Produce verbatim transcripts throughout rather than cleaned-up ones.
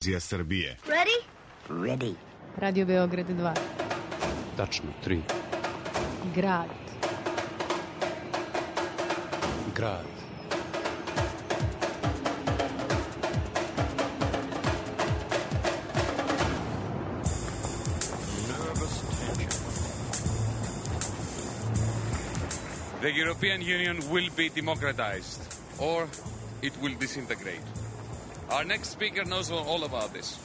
Srbije. Ready? Ready. Radio Beograd dva. Tačno, tri. Grad. Grad. The European Union will be democratized, or it will disintegrate. Our next speaker knows all about this,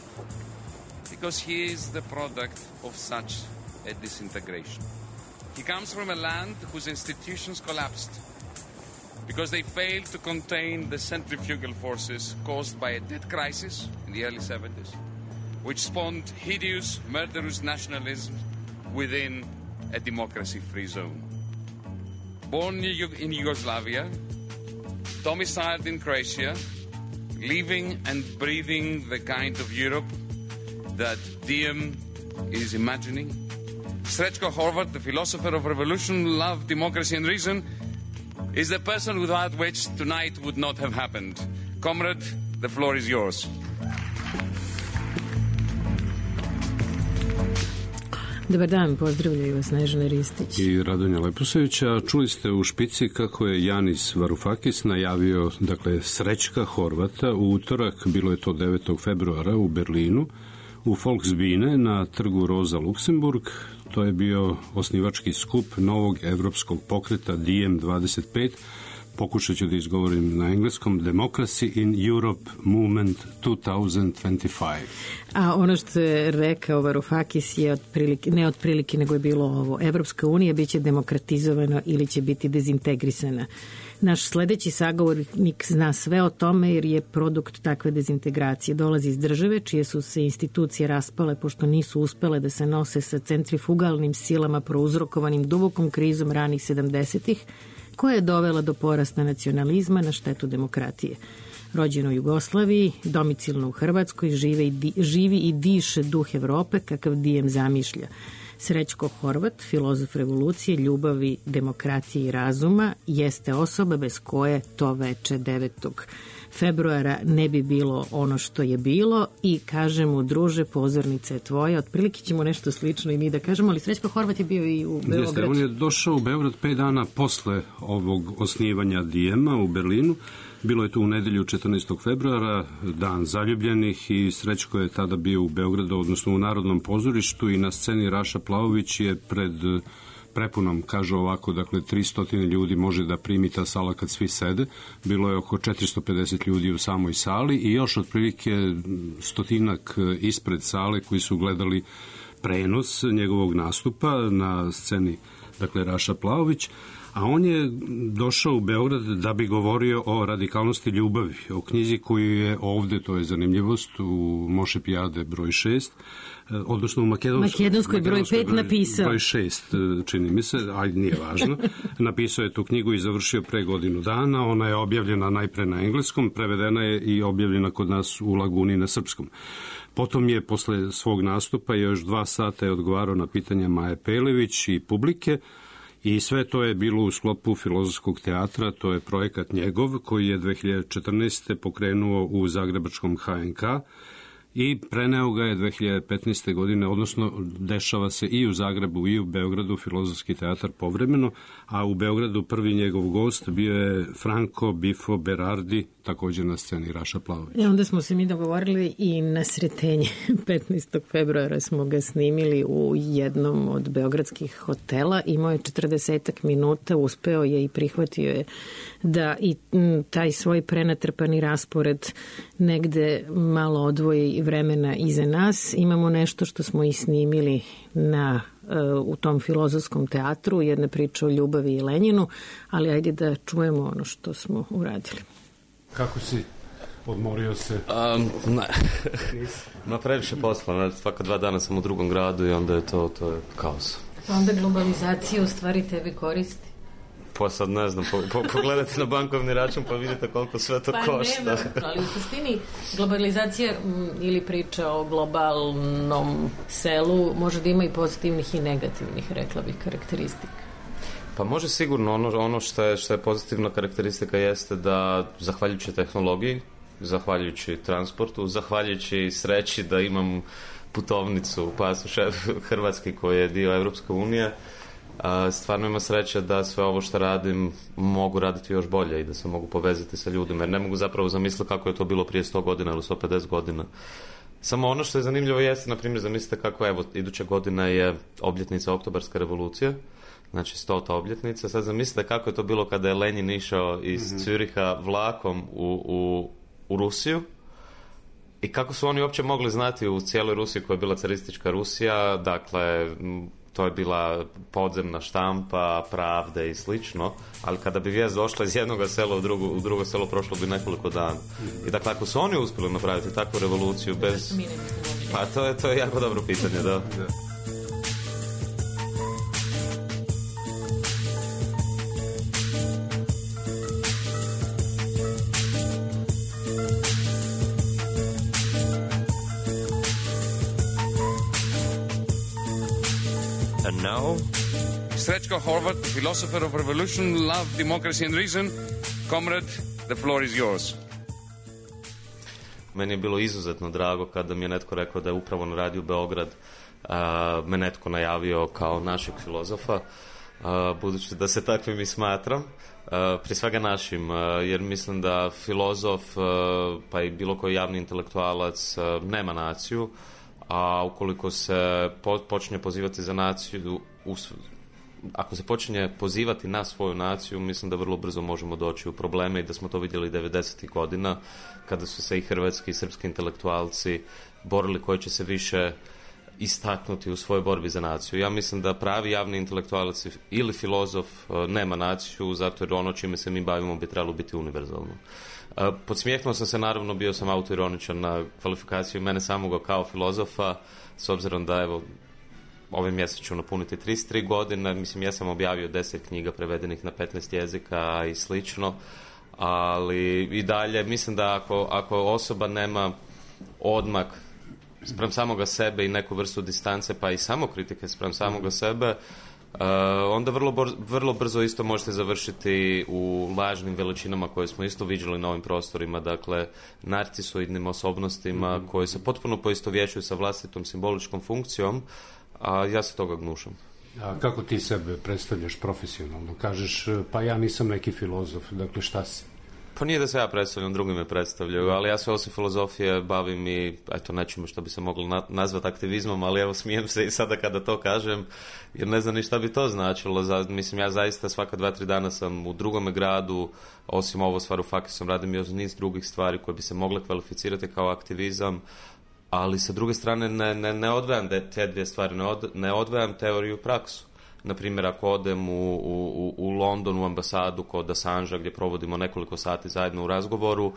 because he is the product of such a disintegration. He comes from a land whose institutions collapsed because they failed to contain the centrifugal forces caused by a debt crisis in the early seventies, which spawned hideous, murderous nationalism within a democracy-free zone. Born in Yugoslavia, domiciled in Croatia, living and breathing the kind of Europe that Diem is imagining, Srećko Horvat, the philosopher of revolution, love, democracy and reason, is the person without which tonight would not have happened. Comrade, the floor is yours. Dobar dan, pozdravljaju vas Snežana Ristić i Radonja Leposevića. Čuli ste u špici kako je Janis Varoufakis najavio, dakle, Srećka Horvata u utorak, bilo je to devetog februara u Berlinu, u Volksbühne na trgu Roza Luksemburg. To je bio osnivački skup novog evropskog pokreta Diem dvadeset pet. Pokušat ću da izgovorim na engleskom: Democracy in Europe Movement dvanaest dvadeset pet. A ono što je rekao Varoufakis je otprilike, ne otprilike, nego je bilo ovo: Evropska unija biće demokratizovana ili će biti dezintegrisana. Naš sledeći sagovornik zna sve o tome jer je produkt takve dezintegracije. Dolazi iz države čije su se institucije raspale pošto nisu uspele da se nose sa centrifugalnim silama prouzrokovanim dubokom krizom ranih sedamdesetih, koja je dovela do porasta nacionalizma na štetu demokratije. Rođen u Jugoslaviji, domicilno u Hrvatskoj, žive i di, živi i diše duh Evrope kakav Diem zamišlja. Srećko Horvat, filozof revolucije, ljubavi, demokratije i razuma, jeste osoba bez koje to veče devetog februara ne bi bilo ono što je bilo i kaže mu: druže, pozornica je tvoja. Otprilike ćemo nešto slično i mi da kažemo, ali Srećko Horvat je bio i u Beograd. Jeste, on je došao u Beograd pet dana posle ovog osnivanja Dijema u Berlinu. Bilo je to u nedelju četrnaestog februara, dan zaljubljenih, i Srećko je tada bio u Beogradu, odnosno u Narodnom pozorištu, i na sceni Raša Plavović je pred prepunom, kaže ovako, dakle tristo ljudi može da primi ta sala kad svi sede. Bilo je oko četiristo pedeset ljudi u samoj sali i još otprilike stotinak ispred sale koji su gledali prenos njegovog nastupa na sceni, dakle Raša Plavović. A on je došao u Beograd da bi govorio o radikalnosti ljubavi, o knjizi koju je ovde, to je zanimljivost, u Moše Pijade broj šest, odnosno u Makedonskoj, Makedonskoj broj pet napisao. Broj šest, čini mi se, ajde, nije važno. Napisao je tu knjigu i završio pre godinu dana. Ona je objavljena najpre na engleskom, prevedena je i objavljena kod nas u Laguni na srpskom. Potom je posle svog nastupa još dva sata je odgovarao na pitanja Maje Pelević i publike. I sve to je bilo u sklopu Filozofskog teatra, to je projekat njegov koji je dve hiljade četrnaeste. pokrenuo u zagrebačkom ha en ka i preneo ga je dve hiljade petnaeste. godine, odnosno dešava se i u Zagrebu i u Beogradu Filozofski teatar povremeno, a u Beogradu prvi njegov gost bio je Franco Bifo Berardi, također na sceni Raša Plavović. I onda smo se mi dogovorili i na Sretenje petnaestog februara smo ga snimili u jednom od beogradskih hotela. Imao je četrdesetak minuta, uspeo je i prihvatio je da i taj svoj prenatrpani raspored negde malo odvoji vremena iza nas. Imamo nešto što smo i snimili na, u tom Filozofskom teatru, jedna priča o ljubavi i Lenjinu, ali ajde da čujemo ono što smo uradili. Kako si? Odmorio se? Um, ne. Ma previše posla, svaka dva dana sam u drugom gradu i onda je to, to je kaos. Onda globalizacija u stvari tebi koristi? Pa sad ne znam, po, po, pogledajte na bankovni račun pa vidite koliko sve to pa košta. Pa nema, ali u suštini globalizacija m, ili priča o globalnom selu može da ima i pozitivnih i negativnih, rekla bih, karakteristika. Pa može sigurno, ono, ono što je, što je pozitivna karakteristika jeste da, zahvaljujući tehnologiji, zahvaljujući transportu, zahvaljujući sreći da imam putovnicu, pasoš hrvatski koji je dio Evropske unije. Stvarno ima sreće da sve ovo što radim mogu raditi još bolje i da se mogu povezati sa ljudima, jer ne mogu zapravo zamisliti kako je to bilo prije sto godina ili sto pedeset godina. Samo ono što je zanimljivo jeste, na primjer, zamislite kako, evo, iduća godina je obljetnica Oktobarske revolucije, znači stota obljetnica. Sad zamislite kako je to bilo kada je Lenin išao iz mm-hmm. Züricha vlakom u, u, u Rusiju i kako su oni uopće mogli znati u cijeloj Rusiji koja je bila caristička Rusija, dakle, to je bila podzemna štampa, Pravde i slično, ali kada bi vijest došla iz jednog sela u drugo, u drugo selo, prošlo bi nekoliko dana. I dakle, ako su oni uspjeli napraviti takvu revoluciju bez... Pa to je, to je jako dobro pitanje, da. And now, Srećko Horvat, the philosopher of revolution, love, democracy and reason. Comrade, the floor is yours. Meni je bilo izuzetno drago kada mi je netko rekao da je upravo na radiju Beograd a, me netko najavio kao našeg filozofa, a, budući da se takvim i smatram, a, prije svega našim, a, jer mislim da filozof, a, pa i bilo koji javni intelektualac a, nema naciju, a ukoliko se po, počne pozivati za naciju, us, ako se počinje pozivati na svoju naciju, mislim da vrlo brzo možemo doći u probleme i da smo to vidjeli devedesetih godina, kada su se i hrvatski i srpski intelektualci borili koji će se više istaknuti u svojoj borbi za naciju. Ja mislim da pravi javni intelektualac ili filozof nema naciju, zato jer ono čime se mi bavimo bi trebalo biti univerzalno. Podsmijehnuo sam se, naravno, bio sam autoironičan na kvalifikaciju mene samoga kao filozofa, s obzirom da, evo, ovaj mjesec ću napuniti trideset tri godine, mislim, ja sam objavio deset knjiga prevedenih na petnaest jezika i slično, ali i dalje mislim da ako, ako osoba nema odmak spram samoga sebe i neku vrstu distance, pa i samokritike spram samoga sebe, Uh, onda vrlo, bor, vrlo brzo isto možete završiti u lažnim veličinama koje smo isto viđali na ovim prostorima, dakle narcisoidnim osobnostima mm-hmm. koje se potpuno poistovjećuju sa vlastitom simboličkom funkcijom, a ja se toga gnušam. A kako ti sebe predstavljaš profesionalno? Kažeš, pa ja nisam neki filozof, dakle šta si? Pa nije da se ja predstavljam, drugi me predstavljaju, ali ja se osim filozofije bavim i, eto, nečemu što bi se moglo na, nazvati aktivizmom, ali evo, smijem se i sada kada to kažem, jer ne znam ni šta bi to značilo. Za, mislim, ja zaista svaka dva, tri dana sam u drugome gradu, osim ovo stvar u Fakisom, radim još niz drugih stvari koje bi se mogle kvalificirati kao aktivizam, ali sa druge strane ne, ne, ne odvajam te dvije stvari, ne, od, ne odvajam teoriju i praksu. Naprimjer, ako odem u, u, u London, u ambasadu kod Assangea, gdje provodimo nekoliko sati zajedno u razgovoru,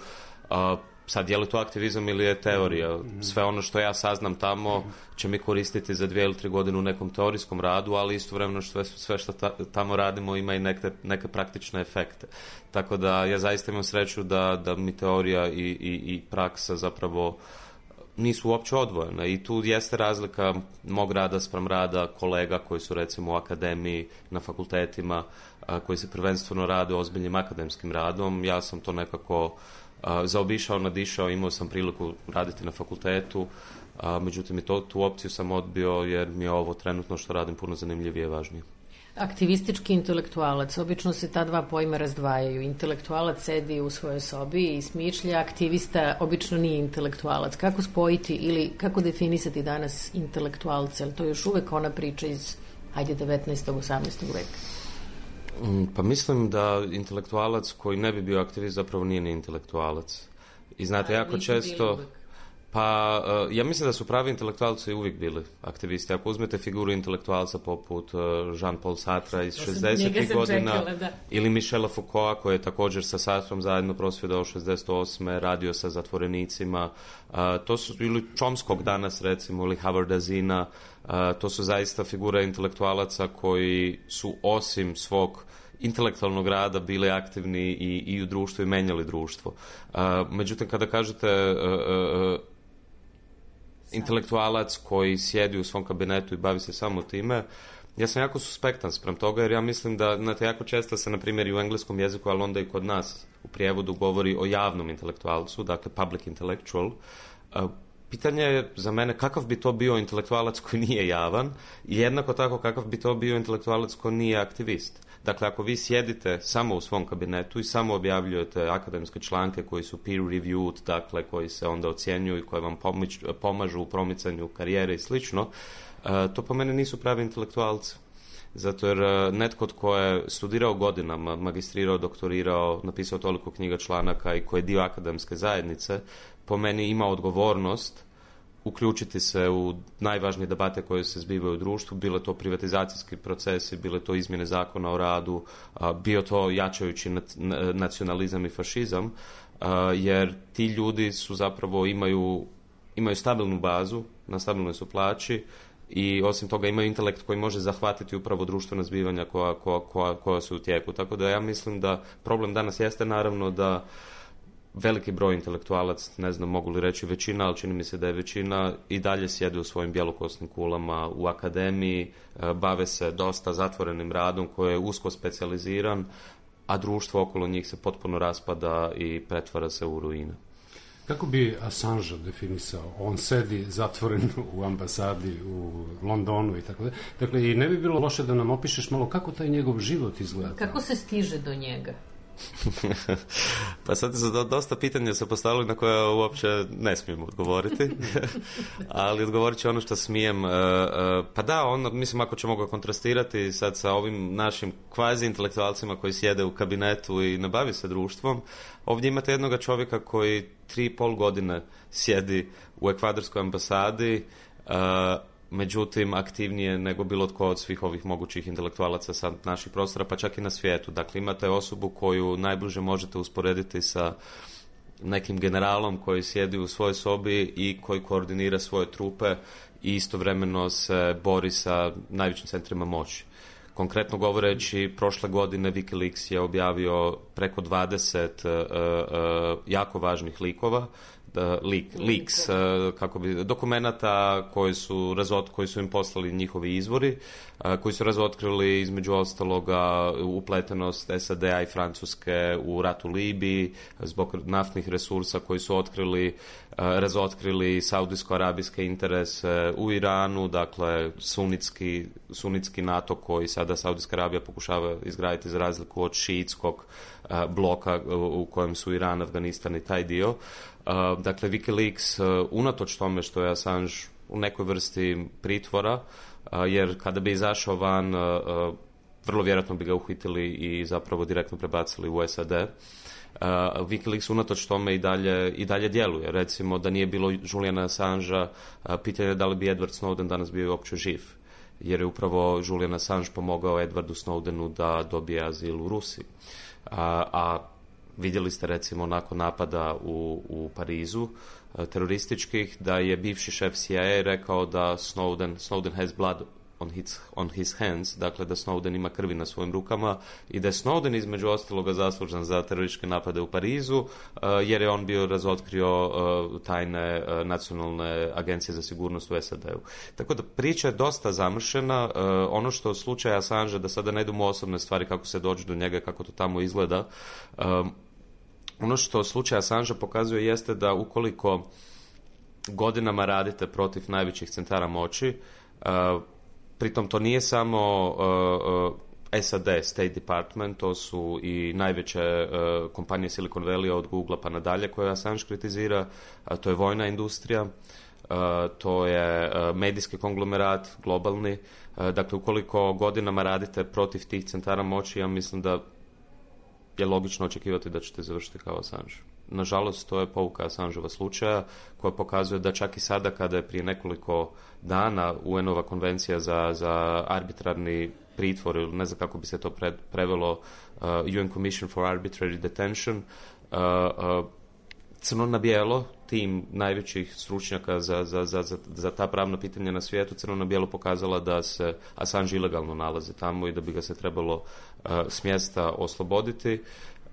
a, sad je li to aktivizam ili je teorija? Sve ono što ja saznam tamo će mi koristiti za dvije ili tri godine u nekom teorijskom radu, ali istovremeno sve, sve što ta, tamo radimo ima i neke, neke praktične efekte. Tako da ja zaista imam sreću da, da mi teorija i, i, i praksa zapravo nisu uopće odvojene i tu jeste razlika mog rada spram rada kolega koji su recimo u akademiji, na fakultetima, a, koji se prvenstveno rade ozbiljnim akademskim radom. Ja sam to nekako a, zaobišao, nadišao, imao sam priliku raditi na fakultetu, a, međutim i to, tu opciju sam odbio jer mi je ovo trenutno što radim puno zanimljivije i važnije. Aktivistički intelektualac, obično se ta dva pojma razdvajaju. Intelektualac sedi u svojoj sobi i smišlja, aktivista obično nije intelektualac. Kako spojiti ili kako definisati danas intelektualce? Ali to je još uvek ona priča iz, hajde, devetnaestog osamnaestog veka. Pa mislim da intelektualac koji ne bi bio aktivist zapravo nije ni intelektualac. I znate, jako često... Pa, uh, ja mislim da su pravi intelektualci uvijek bili aktivisti. Ako uzmete figuru intelektualca poput uh, Jean-Paul Sartre iz šezdesetih godina, čekala, ili Michela Foucaulta koji je također sa Sartrom zajedno prosvjedao šezdeset osme radio sa zatvorenicima, uh, to su, ili Chomskog danas recimo, ili Howarda Zinna, uh, to su zaista figure intelektualaca koji su osim svog intelektualnog rada bili aktivni i, i u društvu i menjali društvo. Uh, međutim, kada kažete uh, uh, intelektualac koji sjedi u svom kabinetu i bavi se samo time, ja sam jako suspektan sprem toga, jer ja mislim da, znate, jako često se, na primjer, i u engleskom jeziku, ali onda i kod nas u prijevodu govori o javnom intelektualcu, dakle public intellectual. Pitanje je za mene kakav bi to bio intelektualac koji nije javan i jednako tako kakav bi to bio intelektualac koji nije aktivist. Dakle, ako vi sjedite samo u svom kabinetu i samo objavljujete akademske članke koji su peer reviewed, dakle koji se onda ocjenjuju i koji vam pomič, pomažu u promicanju karijere i slično, to po mene nisu pravi intelektualci. Zato jer netko tko je studirao godinama, magistrirao, doktorirao, napisao toliko knjiga, članaka i koji je dio akademske zajednice, po meni ima odgovornost uključiti se u najvažnije debate koje se zbivaju u društvu, bile to privatizacijski procesi, bile to izmjene zakona o radu, bio to jačajući nacionalizam i fašizam, jer ti ljudi su zapravo imaju, imaju stabilnu bazu, na stabilnoj su plaći i osim toga imaju intelekt koji može zahvatiti upravo društvena zbivanja koja, koja, koja, koja su u tijeku. Tako da ja mislim da problem danas jeste naravno da veliki broj intelektualac, ne znam mogu li reći većina, ali čini mi se da je većina, i dalje sjede u svojim bjelokosnim kulama u akademiji, bave se dosta zatvorenim radom koji je usko specijaliziran, a društvo okolo njih se potpuno raspada i pretvara se u ruine. Kako bi Assange definisao? On sedi zatvoren u ambasadi u Londonu i tako da. Dakle, i ne bi bilo loše da nam opišeš malo kako taj njegov život izgleda. Kako se stiže do njega? Pa sad su dosta pitanja se postavili na koje uopće ne smijem odgovoriti, ali odgovorit ću ono što smijem. Pa da, on, mislim, ako ćemo ga kontrastirati sad sa ovim našim kvazi intelektualcima koji sjede u kabinetu i ne bavi se društvom, ovdje imate jednoga čovjeka koji tri i pol godine sjedi u ekvadorskoj ambasadi, međutim aktivnije nego bilo tko od svih ovih mogućih intelektualaca sa naših prostora, pa čak i na svijetu. Dakle, imate osobu koju najbliže možete usporediti sa nekim generalom koji sjedi u svojoj sobi i koji koordinira svoje trupe i istovremeno se bori sa najvećim centrima moći. Konkretno govoreći, prošle godine Wikileaks je objavio preko dvadeset uh, uh, jako važnih likova, Leak, leaks, kako bi, dokumenata koji su, razot, koji su im poslali njihovi izvori, koji su razotkrili između ostaloga upletenost S A D-a i Francuske u ratu Libiji zbog naftnih resursa koji su otkrili, razotkrili saudijsko-arabijske interese u Iranu, dakle sunitski, sunitski NATO koji sada Saudijska Arabija pokušava izgraditi za razliku od šiitskog bloka u kojem su Iran, Afganistan i taj dio. Uh, dakle, Wikileaks, uh, unatoč tome što je Assange u nekoj vrsti pritvora, uh, jer kada bi izašao van, uh, uh, vrlo vjerojatno bi ga uhitili i zapravo direktno prebacili u S A D. Uh, Wikileaks unatoč tome i dalje, i dalje djeluje. Recimo, da nije bilo Juliana Assangea, uh, pitanje je da li bi Edward Snowden danas bio uopće živ. Jer je upravo Julian Assange pomogao Edwardu Snowdenu da dobije azil u Rusiji. Uh, a vidjeli ste recimo nakon napada u, u Parizu terorističkih da je bivši šef C I A rekao da Snowden, Snowden has blood on his, on his hands, dakle da Snowden ima krvi na svojim rukama i da je Snowden između ostaloga zaslužan za terorističke napade u Parizu uh, jer je on bio razotkrio uh, tajne uh, nacionalne agencije za sigurnost u S A D-u. Tako da priča je dosta zamršena. Uh, ono što slučaj Assange, da sada ne idemo u osobne stvari kako se dođe do njega, kako to tamo izgleda, um, ono što slučaj Assange pokazuje jeste da ukoliko godinama radite protiv najvećih centara moći, uh, pritom to nije samo uh, uh, S A D, State Department, to su i najveće uh, kompanije Silicon Valley od Google pa nadalje koje Assange kritizira, uh, to je vojna industrija, uh, to je uh, medijski konglomerat, globalni. Uh, dakle, ukoliko godinama radite protiv tih centara moći, ja mislim da je logično očekivati da ćete završiti kao Assange. Nažalost, to je pouka Assangeova slučaja koja pokazuje da čak i sada kada je prije nekoliko dana U N-ova konvencija za, za arbitrarni pritvor, ili ne znam kako bi se to pre, prevelo, uh, U N Commission for Arbitrary Detention, uh, uh, crno na bijelo, tim najvećih stručnjaka za, za, za, za, za ta pravna pitanja na svijetu, crno na bijelo pokazala da se Assange ilegalno nalazi tamo i da bi ga se trebalo uh, s mjesta osloboditi.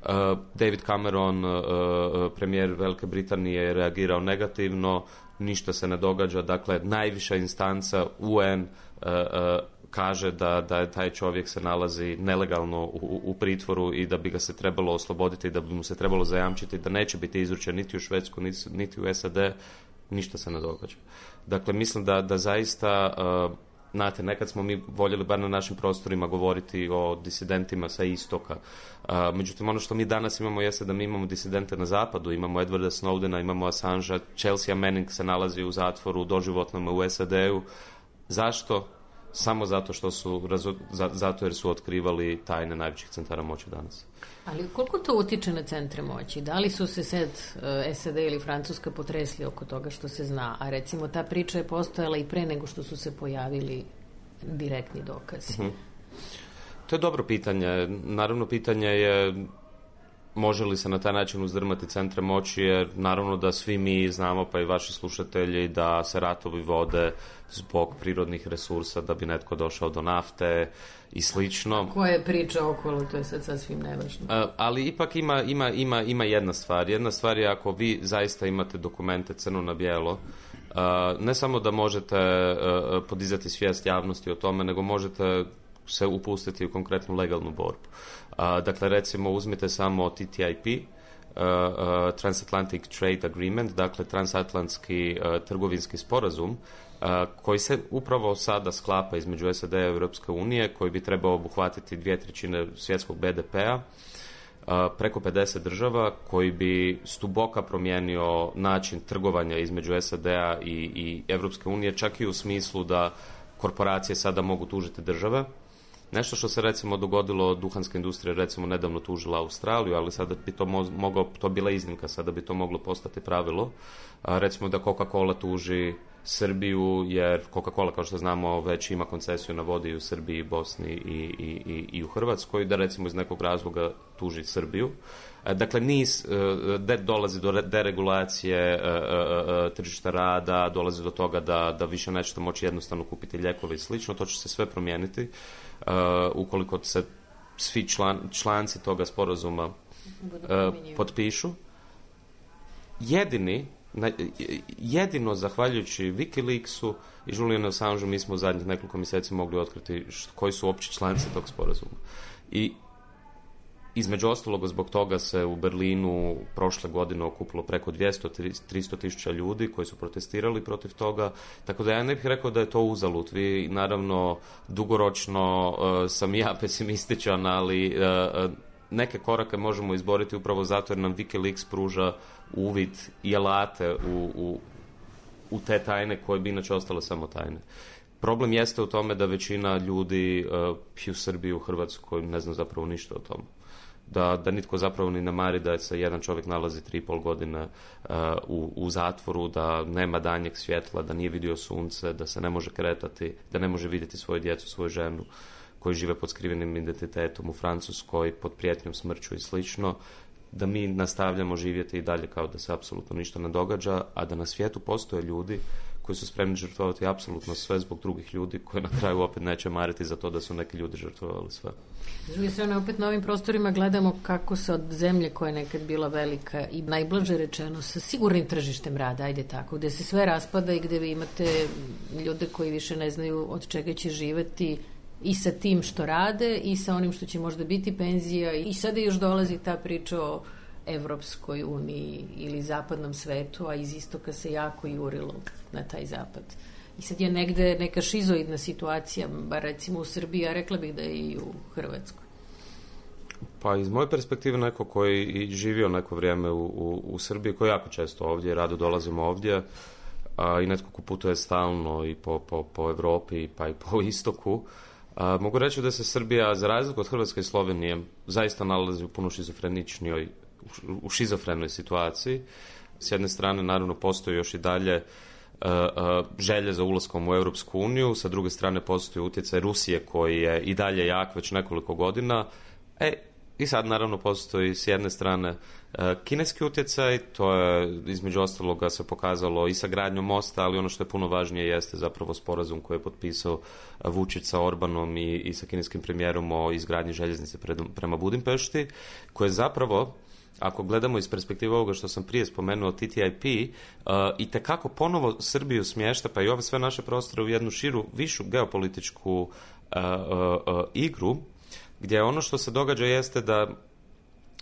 Uh, David Cameron, uh, premijer Velike Britanije, je reagirao negativno, ništa se ne događa, dakle najviša instanca U N uh, uh, kaže da, da taj čovjek se nalazi nelegalno u, u pritvoru i da bi ga se trebalo osloboditi i da bi mu se trebalo zajamčiti da neće biti izručen niti u Švedsku, niti, niti u S A D, ništa se ne događa. Dakle, mislim da, da zaista, uh, znate, nekad smo mi voljeli bar na našim prostorima govoriti o disidentima sa istoka. Uh, međutim, ono što mi danas imamo jeste da mi imamo disidente na zapadu, imamo Edwarda Snowdena, imamo Assangea, Chelsea Manning se nalazi u zatvoru, doživotnom u S A D-u. Zašto? Samo zato što su, zato jer su otkrivali tajne najvećih centara moći danas. Ali koliko to utiče na centre moći? Da li su se sad S A D ili Francuska potresli oko toga što se zna? A recimo ta priča je postojala i pre nego što su se pojavili direktni dokazi. Uh-huh. To je dobro pitanje. Naravno, pitanje je može li se na taj način uzdrmati centre moći, jer naravno da svi mi znamo, pa i vaši slušatelji, da se ratovi vode zbog prirodnih resursa, da bi netko došao do nafte i slično. Koja je priča okolo, to je sad sasvim nevažno. A, ali ipak ima, ima, ima, ima jedna stvar. Jedna stvar je ako vi zaista imate dokumente crno na bijelo, a, ne samo da možete a, podizati svijest javnosti o tome, nego možete se upustiti u konkretnu legalnu borbu. Uh, dakle, recimo, uzmite samo T T I P, uh, uh, Transatlantic Trade Agreement, dakle, transatlantski uh, trgovinski sporazum, uh, koji se upravo sada sklapa između S A D-a i Europske unije, koji bi trebao obuhvatiti dvije trećine svjetskog B D P-a, uh, preko pedeset država, koji bi stuboka promijenio način trgovanja između S A D-a i, i Europske unije, čak i u smislu da korporacije sada mogu tužiti države. Nešto što se recimo dogodilo, duhanska industrija recimo nedavno tužila Australiju, ali sada bi to mo- moglo, to bila iznimka, sada bi to moglo postati pravilo. A, recimo da Coca-Cola tuži Srbiju, jer Coca-Cola, kao što znamo, već ima koncesiju na vodi i u Srbiji, Bosni i, i, i, i u Hrvatskoj, da recimo iz nekog razloga tuži Srbiju. A, dakle, niz, de, dolazi do deregulacije a, a, a, tržišta rada, dolazi do toga da, da više nećete moći jednostavno kupiti lijekove i slično, to će se sve promijeniti. Uh, ukoliko se svi član, članci toga sporazuma uh, potpišu. Jedini, na, jedino zahvaljujući Wikileaksu i Julianu Assangeu mi smo u zadnjih nekoliko mjeseci mogli otkriti št, koji su opći članci tog sporazuma. I između ostalog zbog toga se u Berlinu prošle godine okupilo preko dvjesto do tristo tisuća ljudi koji su protestirali protiv toga, tako da ja ne bih rekao da je to uzalud. Vi naravno dugoročno uh, sam ja pesimističan, ali uh, neke korake možemo izboriti upravo zato jer nam Wikileaks pruža uvid i alate u, u, u te tajne koje bi inače ostale samo tajne. Problem jeste u tome da većina ljudi uh, i u Srbiji, u Hrvatskoj ne zna zapravo ništa o tome. Da, da nitko zapravo ni ne mari da se jedan čovjek nalazi tri i pol godine uh, u, u zatvoru, da nema danjeg svjetla, da nije vidio sunce, da se ne može kretati, da ne može vidjeti svoju djecu, svoju ženu, koji žive pod skrivenim identitetom u Francuskoj, pod prijetnjom smrću i slično, da mi nastavljamo živjeti i dalje kao da se apsolutno ništa ne događa, a da na svijetu postoje ljudi koji su spremni žrtvovati apsolutno sve zbog drugih ljudi, koji na kraju opet neće mariti za to da su neki ljudi žrtvovali sve. S druge strane, opet na ovim prostorima gledamo kako se od zemlje koja je nekad bila velika i najblaže rečeno sa sigurnim tržištem rada, ajde tako, gde se sve raspada i gde vi imate ljude koji više ne znaju od čega će živeti i sa tim što rade i sa onim što će možda biti penzija, i sada još dolazi ta priča o Evropskoj uniji ili zapadnom svetu, a iz istoka se jako jurilo na taj zapad. I sad je negde neka šizoidna situacija, bar recimo u Srbiji, a rekla bih da je i u Hrvatskoj. Pa iz moje perspektive neko koji i živio neko vrijeme u, u, u Srbiji, koji jako često ovdje, rado dolazimo ovdje, a, i netko ko putuje stalno i po, po, po Evropi pa i po istoku, a, mogu reći da se Srbija, za razliku od Hrvatske i Slovenije, zaista nalazi u puno šizofreničnijoj, u šizofrenoj situaciji. S jedne strane, naravno, postoji još i dalje uh, uh, želje za ulaskom u Europsku uniju, sa druge strane postoji utjecaj Rusije koji je i dalje jak već nekoliko godina. E, i sad naravno postoji s jedne strane uh, kineski utjecaj, to je između ostaloga se pokazalo i sa gradnjom mosta, ali ono što je puno važnije jeste zapravo sporazum koji je potpisao Vučić sa Orbanom i, i sa kineskim premijerom o izgradnji željeznice pred, prema Budimpešti, koje zapravo ako gledamo iz perspektive ovoga što sam prije spomenuo, T T I P, uh, i tekako ponovo Srbiju smješta, pa i ove sve naše prostore u jednu širu, višu geopolitičku uh, uh, uh, igru, gdje ono što se događa jeste da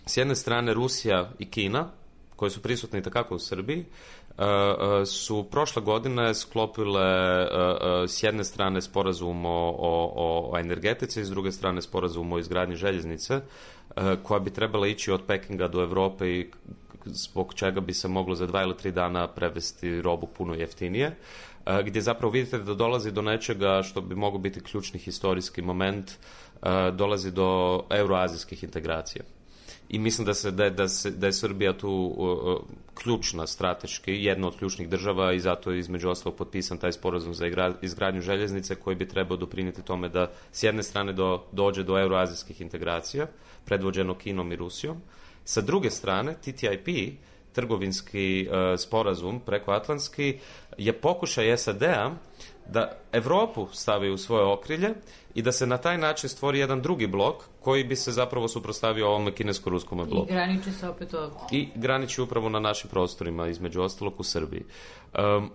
s jedne strane Rusija i Kina, koje su prisutne i takako u Srbiji, uh, uh, su prošle godine sklopile uh, uh, s jedne strane sporazum o, o, o energetici, s druge strane sporazum o izgradnji željeznice, uh, koja bi trebala ići od Pekinga do Europe i zbog čega bi se moglo za dva ili tri dana prevesti robu puno jeftinije, uh, gdje zapravo vidite da dolazi do nečega što bi mogao biti ključni historijski moment, uh, dolazi do euroazijskih integracija. I mislim da, se, da, je, da, se, da je Srbija tu uh, ključna strateški, jedna od ključnih država i zato je između ostalog potpisan taj sporazum za igra, izgradnju željeznice koji bi trebao doprinijeti tome da s jedne strane do, dođe do euroazijskih integracija, predvođeno Kinom i Rusijom. Sa druge strane, T T I P, trgovinski uh, sporazum prekoatlantski, je pokušaj S A D-a da Europu stavi u svoje okrilje i da se na taj način stvori jedan drugi blok koji bi se zapravo suprotstavio ovome kinesko-ruskome bloku. I graniči se opet ovdje. I graniči upravo na našim prostorima, između ostalog u Srbiji. Um,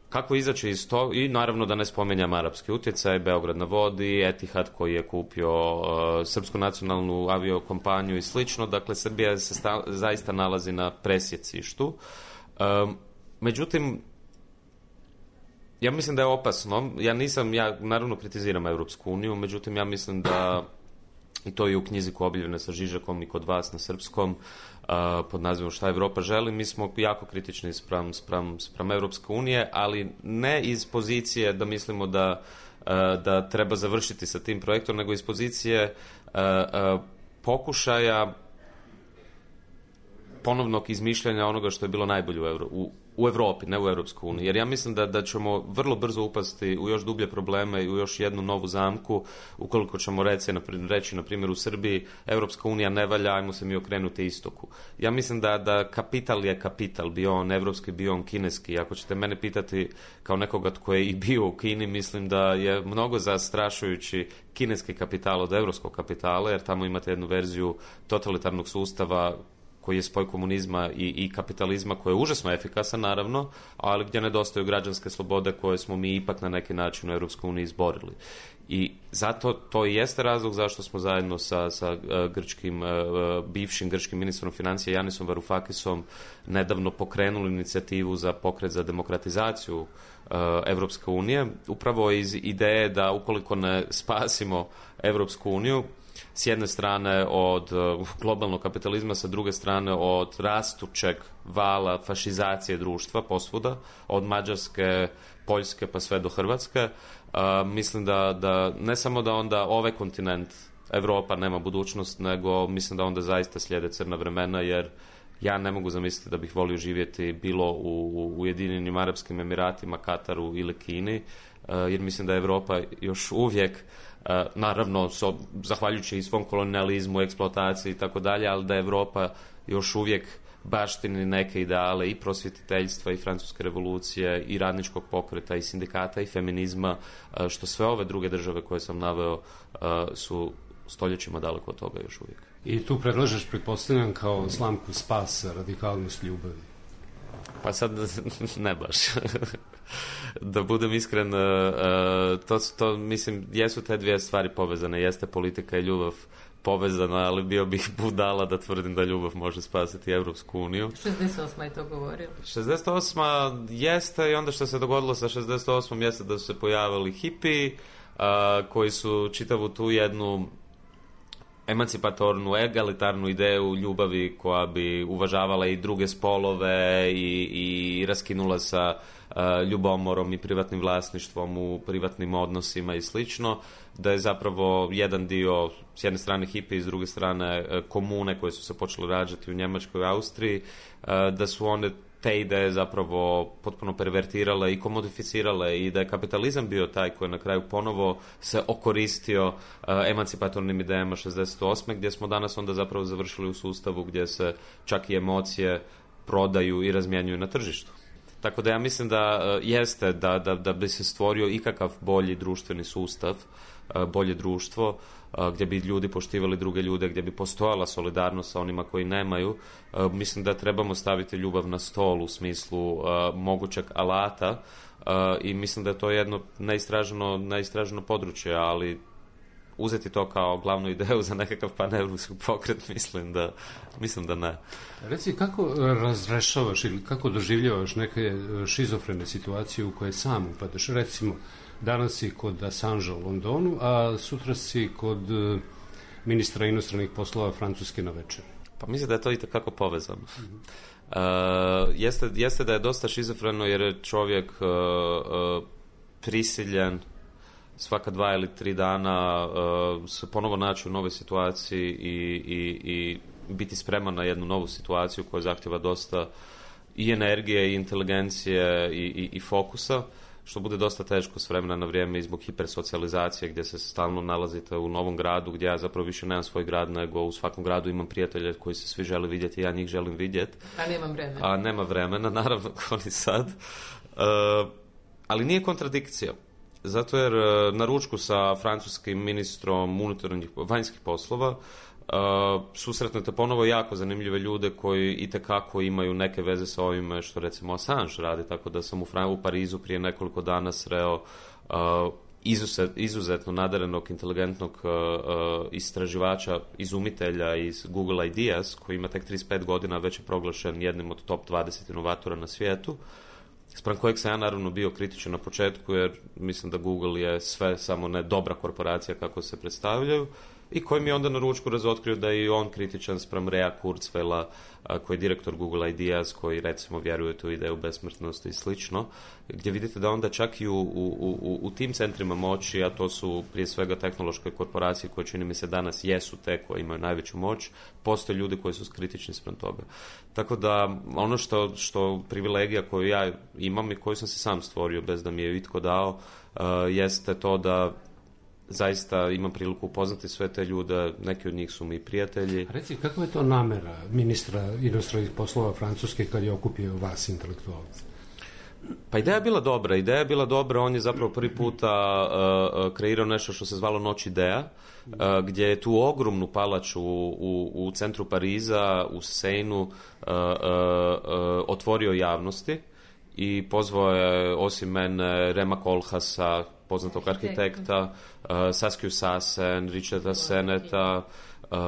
kako izaći iz toga? I naravno da ne spomenjam arapski utjecaj, Beograd na vodi, Etihad koji je kupio uh, srpsku nacionalnu aviokompaniju i slično. Dakle, Srbija se sta, zaista nalazi na presjecištu. Um, međutim, ja mislim da je opasno. Ja nisam, ja naravno kritiziram Europsku uniju, međutim ja mislim da, i to je u knjizi koja je objavljena sa Žižakom i kod vas na srpskom, uh, pod nazivom Šta Evropa želi, mi smo jako kritični spram, spram, spram Europske unije, ali ne iz pozicije da mislimo da, uh, da treba završiti sa tim projektom, nego iz pozicije uh, uh, pokušaja ponovnog izmišljanja onoga što je bilo najbolje u, Evro, u, u Evropi, ne u Europskoj uniji. Jer ja mislim da, da ćemo vrlo brzo upasti u još dublje probleme i u još jednu novu zamku, ukoliko ćemo reći, reći na primjer u Srbiji, Europska unija ne valja, ajmo se mi okrenuti istoku. Ja mislim da, da kapital je kapital, bio on evropski, bio on kineski. Ako ćete mene pitati kao nekoga tko je i bio u Kini, mislim da je mnogo zastrašujući kineski kapital od evropskog kapitala, jer tamo imate jednu verziju totalitarnog sustava koji je spoj komunizma i, i kapitalizma, koji je užasno efikasan, naravno, ali gdje nedostaju građanske slobode koje smo mi ipak na neki način u Europskoj uniji izborili. I zato to i jeste razlog zašto smo zajedno sa, sa uh, grčkim, uh, bivšim grčkim ministrom financija Janisom Varoufakisom nedavno pokrenuli inicijativu za pokret za demokratizaciju uh, Europske unije, upravo iz ideje da ukoliko ne spasimo Europsku uniju, s jedne strane od uh, globalnog kapitalizma, sa druge strane od rastućeg vala fašizacije društva posvuda, od Mađarske, Poljske pa sve do Hrvatske, uh, mislim da, da ne samo da onda ovaj kontinent Evropa nema budućnost, nego mislim da onda zaista slijede crna vremena, jer ja ne mogu zamisliti da bih volio živjeti bilo u, u Ujedinjenim Arapskim Emiratima, Kataru ili Kini, uh, jer mislim da je Evropa još uvijek, Uh, naravno, so, zahvaljujući i svom kolonializmu, eksploataciji i tako dalje, ali da je Evropa još uvijek baštini neke ideale i prosvjetiteljstva i francuske revolucije i radničkog pokreta i sindikata i feminizma, uh, što sve ove druge države koje sam naveo uh, su stoljećima daleko od toga još uvijek. I tu predlažeš, pretpostavljam, kao slamku spasa radikalnost ljubavi. Pa sad ne baš. Da budem iskren, to, to mislim, jesu te dvije stvari povezane, jeste politika i ljubav povezana, ali bio bih budala da tvrdim da ljubav može spasiti Evropsku uniju. šezdeset osma je to govorio. šezdeset osma jeste, i onda što se dogodilo sa šezdeset osmom jeste da su se pojavili hipiji, koji su čitavu tu jednu emancipatornu, egalitarnu ideju ljubavi koja bi uvažavala i druge spolove i, i raskinula sa uh, ljubomorom i privatnim vlasništvom u privatnim odnosima i slično, da je zapravo jedan dio s jedne strane hipi, s druge strane uh, komune koje su se počele rađati u Njemačkoj i Austriji, uh, da su one te ideje zapravo potpuno pervertirale i komodificirale i da je kapitalizam bio taj koji je na kraju ponovo se okoristio uh, emancipatornim idejama šezdeset osme gdje smo danas onda zapravo završili u sustavu gdje se čak i emocije prodaju i razmjenjuju na tržištu. Tako da ja mislim da uh, jeste da, da, da bi se stvorio ikakav bolji društveni sustav, uh, bolje društvo, uh, gdje bi ljudi poštivali druge ljude, gdje bi postojala solidarnost sa onima koji nemaju. Uh, mislim da trebamo staviti ljubav na stol u smislu uh, mogućeg alata uh, i mislim da je to jedno neistraženo, neistraženo područje, ali uzeti to kao glavnu ideju za nekakav paneuropski pokret, mislim da, mislim da ne. Reci, kako razrešavaš ili kako doživljavaš neke šizofrene situacije u koje sam upadaš? Recimo, danas si kod Assangea u Londonu, a sutra si kod ministra inostranih poslova Francuske na večer. Pa mislim da je to itekako povezano. Mm-hmm. Uh, jeste, jeste da je dosta šizofreno jer je čovjek uh, uh, prisiljen svaka dva ili tri dana uh, se ponovo naći u novoj situaciji i, i, i biti spreman na jednu novu situaciju koja zahtjeva dosta i energije i inteligencije i, i, i fokusa, što bude dosta teško s vremena na vrijeme i zbog hipersocijalizacije gdje se stalno nalazite u novom gradu gdje ja zapravo više nemam svoj grad nego u svakom gradu imam prijatelje koji se svi žele vidjeti i ja njih želim vidjeti. A nemam vremena. A nema vremena, naravno, kao ni sad. Uh, ali nije kontradikcija. Zato jer na ručku sa francuskim ministrom unutarnjih vanjskih poslova uh, susretnete ponovo jako zanimljive ljude koji itekako imaju neke veze sa ovime što recimo Assange radi, tako da sam u, Fran- u Parizu prije nekoliko dana sreo uh, izuzet, izuzetno nadarenog, inteligentnog uh, uh, istraživača, izumitelja iz Google Ideas, koji ima tek trideset pet godina, već je proglašen jednim od top dvadeset inovatora na svijetu, spram kojeg sam ja naravno bio kritičan na početku, jer mislim da Google je sve samo ne dobra korporacija kako se predstavljaju, i koji mi je onda na ručku razotkrio da je i on kritičan spram Rea Kurzweila, koji je direktor Google Ideas, koji recimo vjeruje tu ideju besmrtnosti i slično, gdje vidite da onda čak i u, u, u, u tim centrima moći, a to su prije svega tehnološke korporacije koje čini mi se danas jesu te koje imaju najveću moć, postoje ljudi koji su kritični spram toga. Tako da ono što, što privilegija koju ja imam i koju sam se sam stvorio bez da mi je itko dao, uh, jeste to da zaista imam priliku upoznati sve te ljude, neki od njih su mi prijatelji. Reci, kakva je to namera ministra inostranih poslova Francuske kad je okupio vas intelektualce? Pa ideja je bila dobra, ideja je bila dobra, on je zapravo prvi puta uh, kreirao nešto što se zvalo Noć ideja, uh, gdje je tu ogromnu palaču u, u, u centru Pariza, u Seinu, uh, uh, uh, otvorio javnosti i pozvao je osim mene Rema Koolhaasa, poznatog arhitekta, uh, Saskiju Sassen, Richarda Seneta, uh,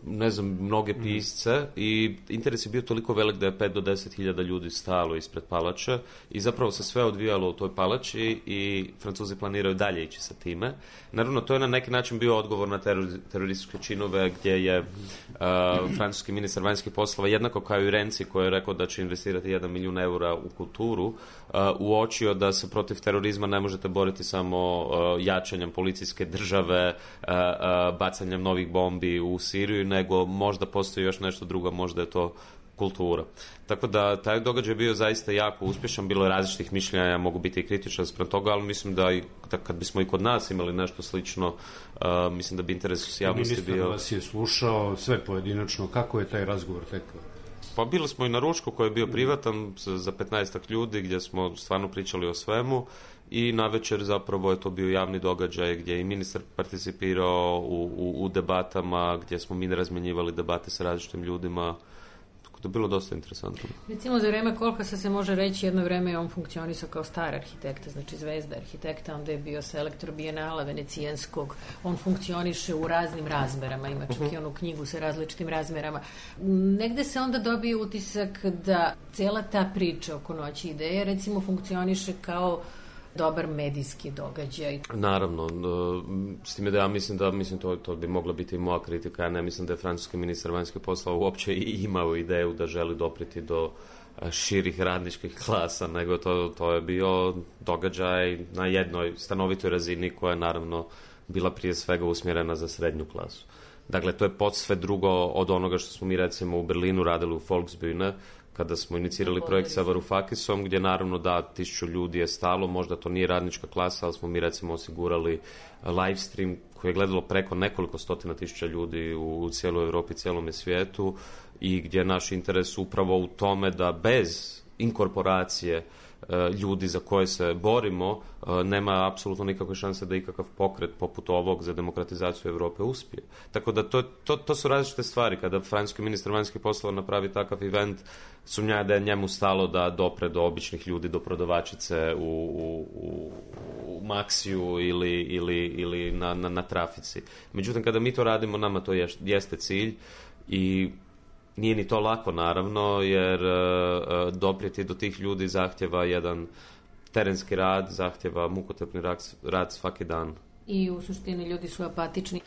ne znam, mnoge pisce, i interes je bio toliko velik da je pet do deset hiljada ljudi stalo ispred palače i zapravo se sve odvijalo u toj palači i Francuzi planiraju dalje ići sa time. Naravno, to je na neki način bio odgovor na teror, terorističke činove gdje je uh, francuski ministar vanjskih poslova, jednako kao i Renzi koji je rekao da će investirati jedan milijun eura u kulturu, uh, uočio da se protiv terorizma ne možete boriti samo uh, jačanjem policijske države, uh, uh, bacanjem novih bombi u Siriju, nego možda postoji još nešto drugo, možda je to kultura. Tako da taj događaj je bio zaista jako uspješan, bilo je različitih mišljenja, ja mogu biti i kritičan spram toga, ali mislim da, i, da kad bismo i kod nas imali nešto slično, uh, mislim da bi interes javnosti bio... Ministar vas je slušao sve pojedinačno, kako je taj razgovor tekao? Pa bili smo i na ručku koji je bio privatan za petnaestak ljudi gdje smo stvarno pričali o svemu i navečer zapravo je to bio javni događaj gdje je i ministar participirao u, u, u debatama, gdje smo mi razmjenjivali debate sa različitim ljudima. To je bilo dosta interesantno. Recimo za vreme Koolhaasa se može reći jedno vreme je on funkcionisao kao star arhitekta, znači zvezda arhitekta, onda je bio sa Elektrobijenala venecijanskog, on funkcioniše u raznim razmerama, ima čak uh-huh. i onu knjigu sa različitim razmerama. Negde se onda dobije utisak da cela ta priča oko Noći ideje recimo funkcioniše kao dobar medijski događaj. Naravno, s time da ja mislim da mislim to, to bi mogla biti i moja kritika, ja ne mislim da je francuski ministar vanjskih poslova uopće i imao ideju da želi dopriti do širih radničkih klasa, nego to, to je bio događaj na jednoj stanovitoj razini koja je naravno bila prije svega usmjerena za srednju klasu. Dakle, to je posve drugo od onoga što smo mi recimo u Berlinu radili u Volksbühne, kada smo inicirali projekt sa Varoufakisom, gdje naravno da tisuću ljudi je stalo, možda to nije radnička klasa, ali smo mi recimo osigurali live stream koji je gledalo preko nekoliko stotina tisuća ljudi u, u cijeloj Europi, cijelome svijetu, i gdje je naš interes upravo u tome da bez inkorporacije ljudi za koje se borimo, nema apsolutno nikakve šanse da ikakav pokret poput ovog za demokratizaciju Europe uspije. Tako da to, to, to su različite stvari. Kada francuski ministar vanjskih poslova napravi takav event, sumnja da je njemu stalo da dopre do običnih ljudi, do prodavačice u, u, u, u Maksiju ili, ili, ili na, na, na trafici. Međutim, kada mi to radimo, nama to je, jeste cilj i nije ni to lako, naravno, jer uh, doprijeti do tih ljudi zahtjeva jedan terenski rad, zahtjeva mukotrpni rad, rad svaki dan. I u suštini ljudi su apatični.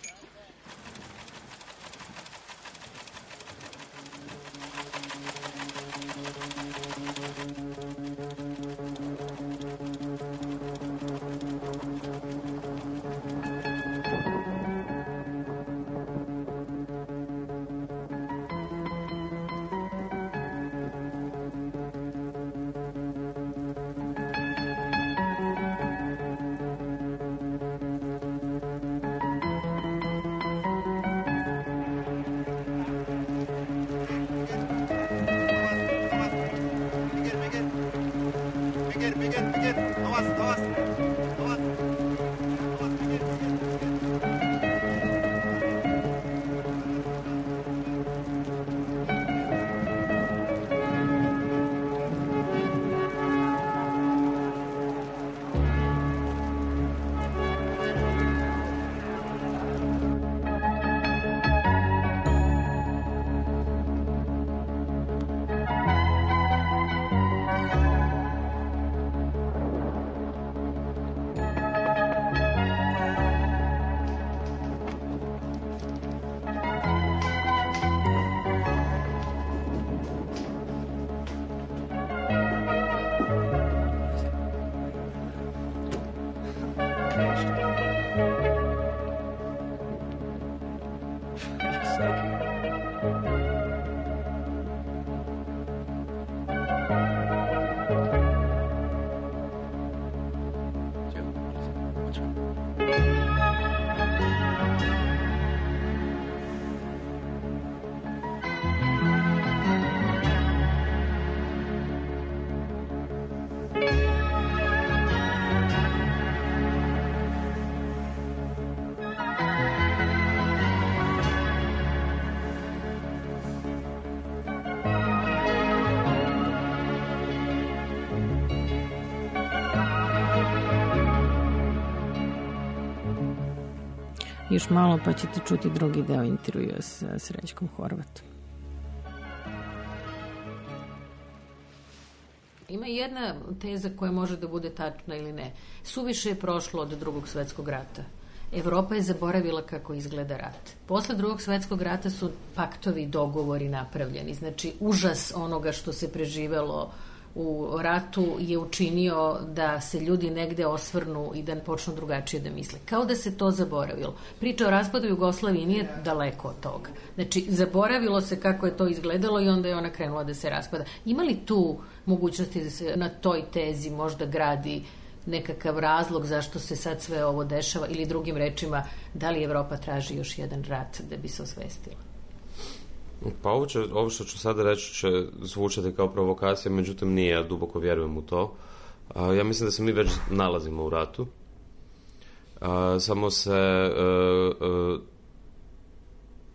Još malo pa ćete čuti drugi deo intervjua sa Srećkom Horvatom. Ima jedna teza koja može da bude tačna ili ne. Suviše je prošlo od drugog svetskog rata. Evropa je zaboravila kako izgleda rat. Posle drugog svetskog rata su paktovi i dogovori napravljeni. Znači, užas onoga što se preživelo u ratu je učinio da se ljudi negde osvrnu i da počnu drugačije da misle. Kao da se to zaboravilo. Priča o raspadu Jugoslavije nije daleko od toga. Znači, zaboravilo se kako je to izgledalo i onda je ona krenula da se raspada. Ima li tu mogućnosti da se na toj tezi možda gradi nekakav razlog zašto se sad sve ovo dešava ili drugim rečima, da li Evropa traži još jedan rat da bi se osvestila? Pa ovo, će, ovo što ću sada reći će zvučati kao provokacija, međutim nije, ja duboko vjerujem u to. A, ja mislim da se mi već nalazimo u ratu. A, samo se a, a,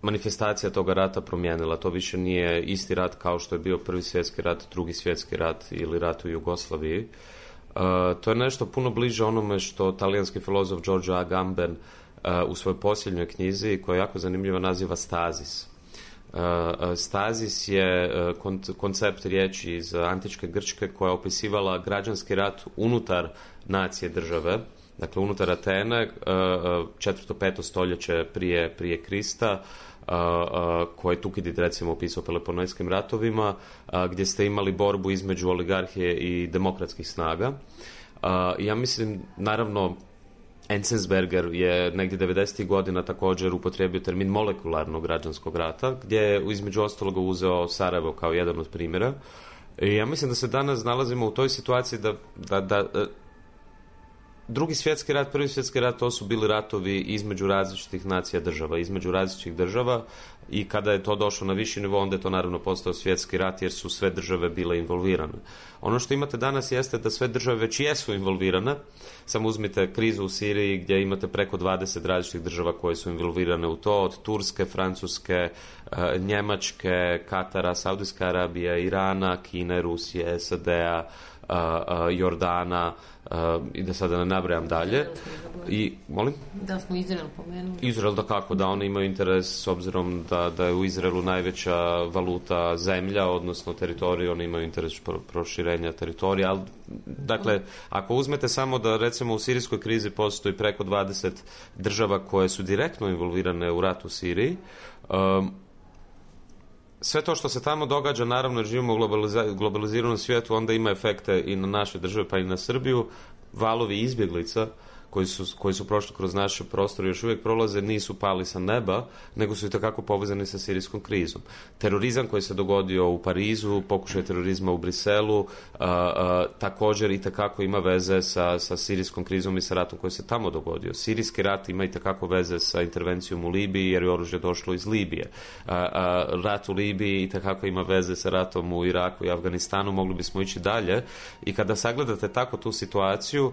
manifestacija toga rata promijenila. To više nije isti rat kao što je bio prvi svjetski rat, drugi svjetski rat ili rat u Jugoslaviji. A, to je nešto puno bliže onome što talijanski filozof Giorgio Agamben a, u svojoj posljednjoj knjizi, koja je jako zanimljiva, naziva Stazis. Stazis je koncept riječi iz antičke Grčke koja je opisivala građanski rat unutar nacije države, dakle unutar Atene, četvrto peto stoljeće prije, prije Krista, koje je Tukidid recimo opisao Peloponeskim ratovima, gdje ste imali borbu između oligarhije i demokratskih snaga. Ja mislim, naravno, Enzensberger je negdje devedesetih godina također upotrijebio termin molekularnog građanskog rata, gdje je između ostaloga uzeo Sarajevo kao jedan od primjera. I ja mislim da se danas nalazimo u toj situaciji da, da, da drugi svjetski rat, prvi svjetski rat, to su bili ratovi između različitih nacija država, između različitih država, i kada je to došlo na viši nivo, onda je to naravno postao svjetski rat jer su sve države bile involvirane. Ono što imate danas jeste da sve države već jesu involvirane. Samo uzmite krizu u Siriji gdje imate preko dvadeset različitih država koje su involvirane u to, od Turske, Francuske, Njemačke, Katara, Saudijske Arabije, Irana, Kine, Rusije, S A D-a, Jordana, i da sada ne nabrajam dalje. I, molim? Da smo Izrael pomenuli. Izrael, da kako, da oni imaju interes s obzirom da, da je u Izraelu najveća valuta zemlja, odnosno teritorij, oni imaju interes pro, proširenja teritorija, ali dakle, ako uzmete samo da recimo u sirijskoj krizi postoji preko dvadeset država koje su direktno involvirane u rat u Siriji, um, sve to što se tamo događa, naravno jer živimo u globaliza- globaliziranom svijetu, onda ima efekte i na naše države, pa i na Srbiju. Valovi izbjeglica koji su, koji su prošli kroz naše prostore još uvijek prolaze, nisu pali sa neba, nego su itekako povezani sa sirijskom krizom. Terorizam koji se dogodio u Parizu, pokušaj terorizma u Briselu, a, a, također itekako ima veze sa, sa sirijskom krizom i sa ratom koji se tamo dogodio. Sirijski rat ima itekako veze sa intervencijom u Libiji, jer je oružje došlo iz Libije. A, a, rat u Libiji itekako ima veze sa ratom u Iraku i Afganistanu, mogli bismo ići dalje. I kada sagledate tako tu situaciju,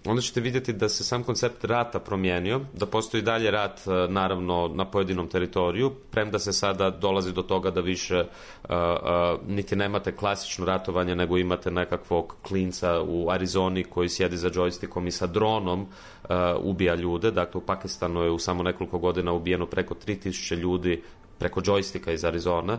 onda ćete vidjeti da se sam koncept rata promijenio, da postoji dalje rat naravno na pojedinom teritoriju, premda se sada dolazi do toga da više uh, uh, niti nemate klasično ratovanje, nego imate nekakvog klinca u Arizoni koji sjedi za džojstikom i sa dronom uh, ubija ljude. Dakle, u Pakistanu je u samo nekoliko godina ubijeno preko tri tisuće ljudi preko džojstika iz Arizona.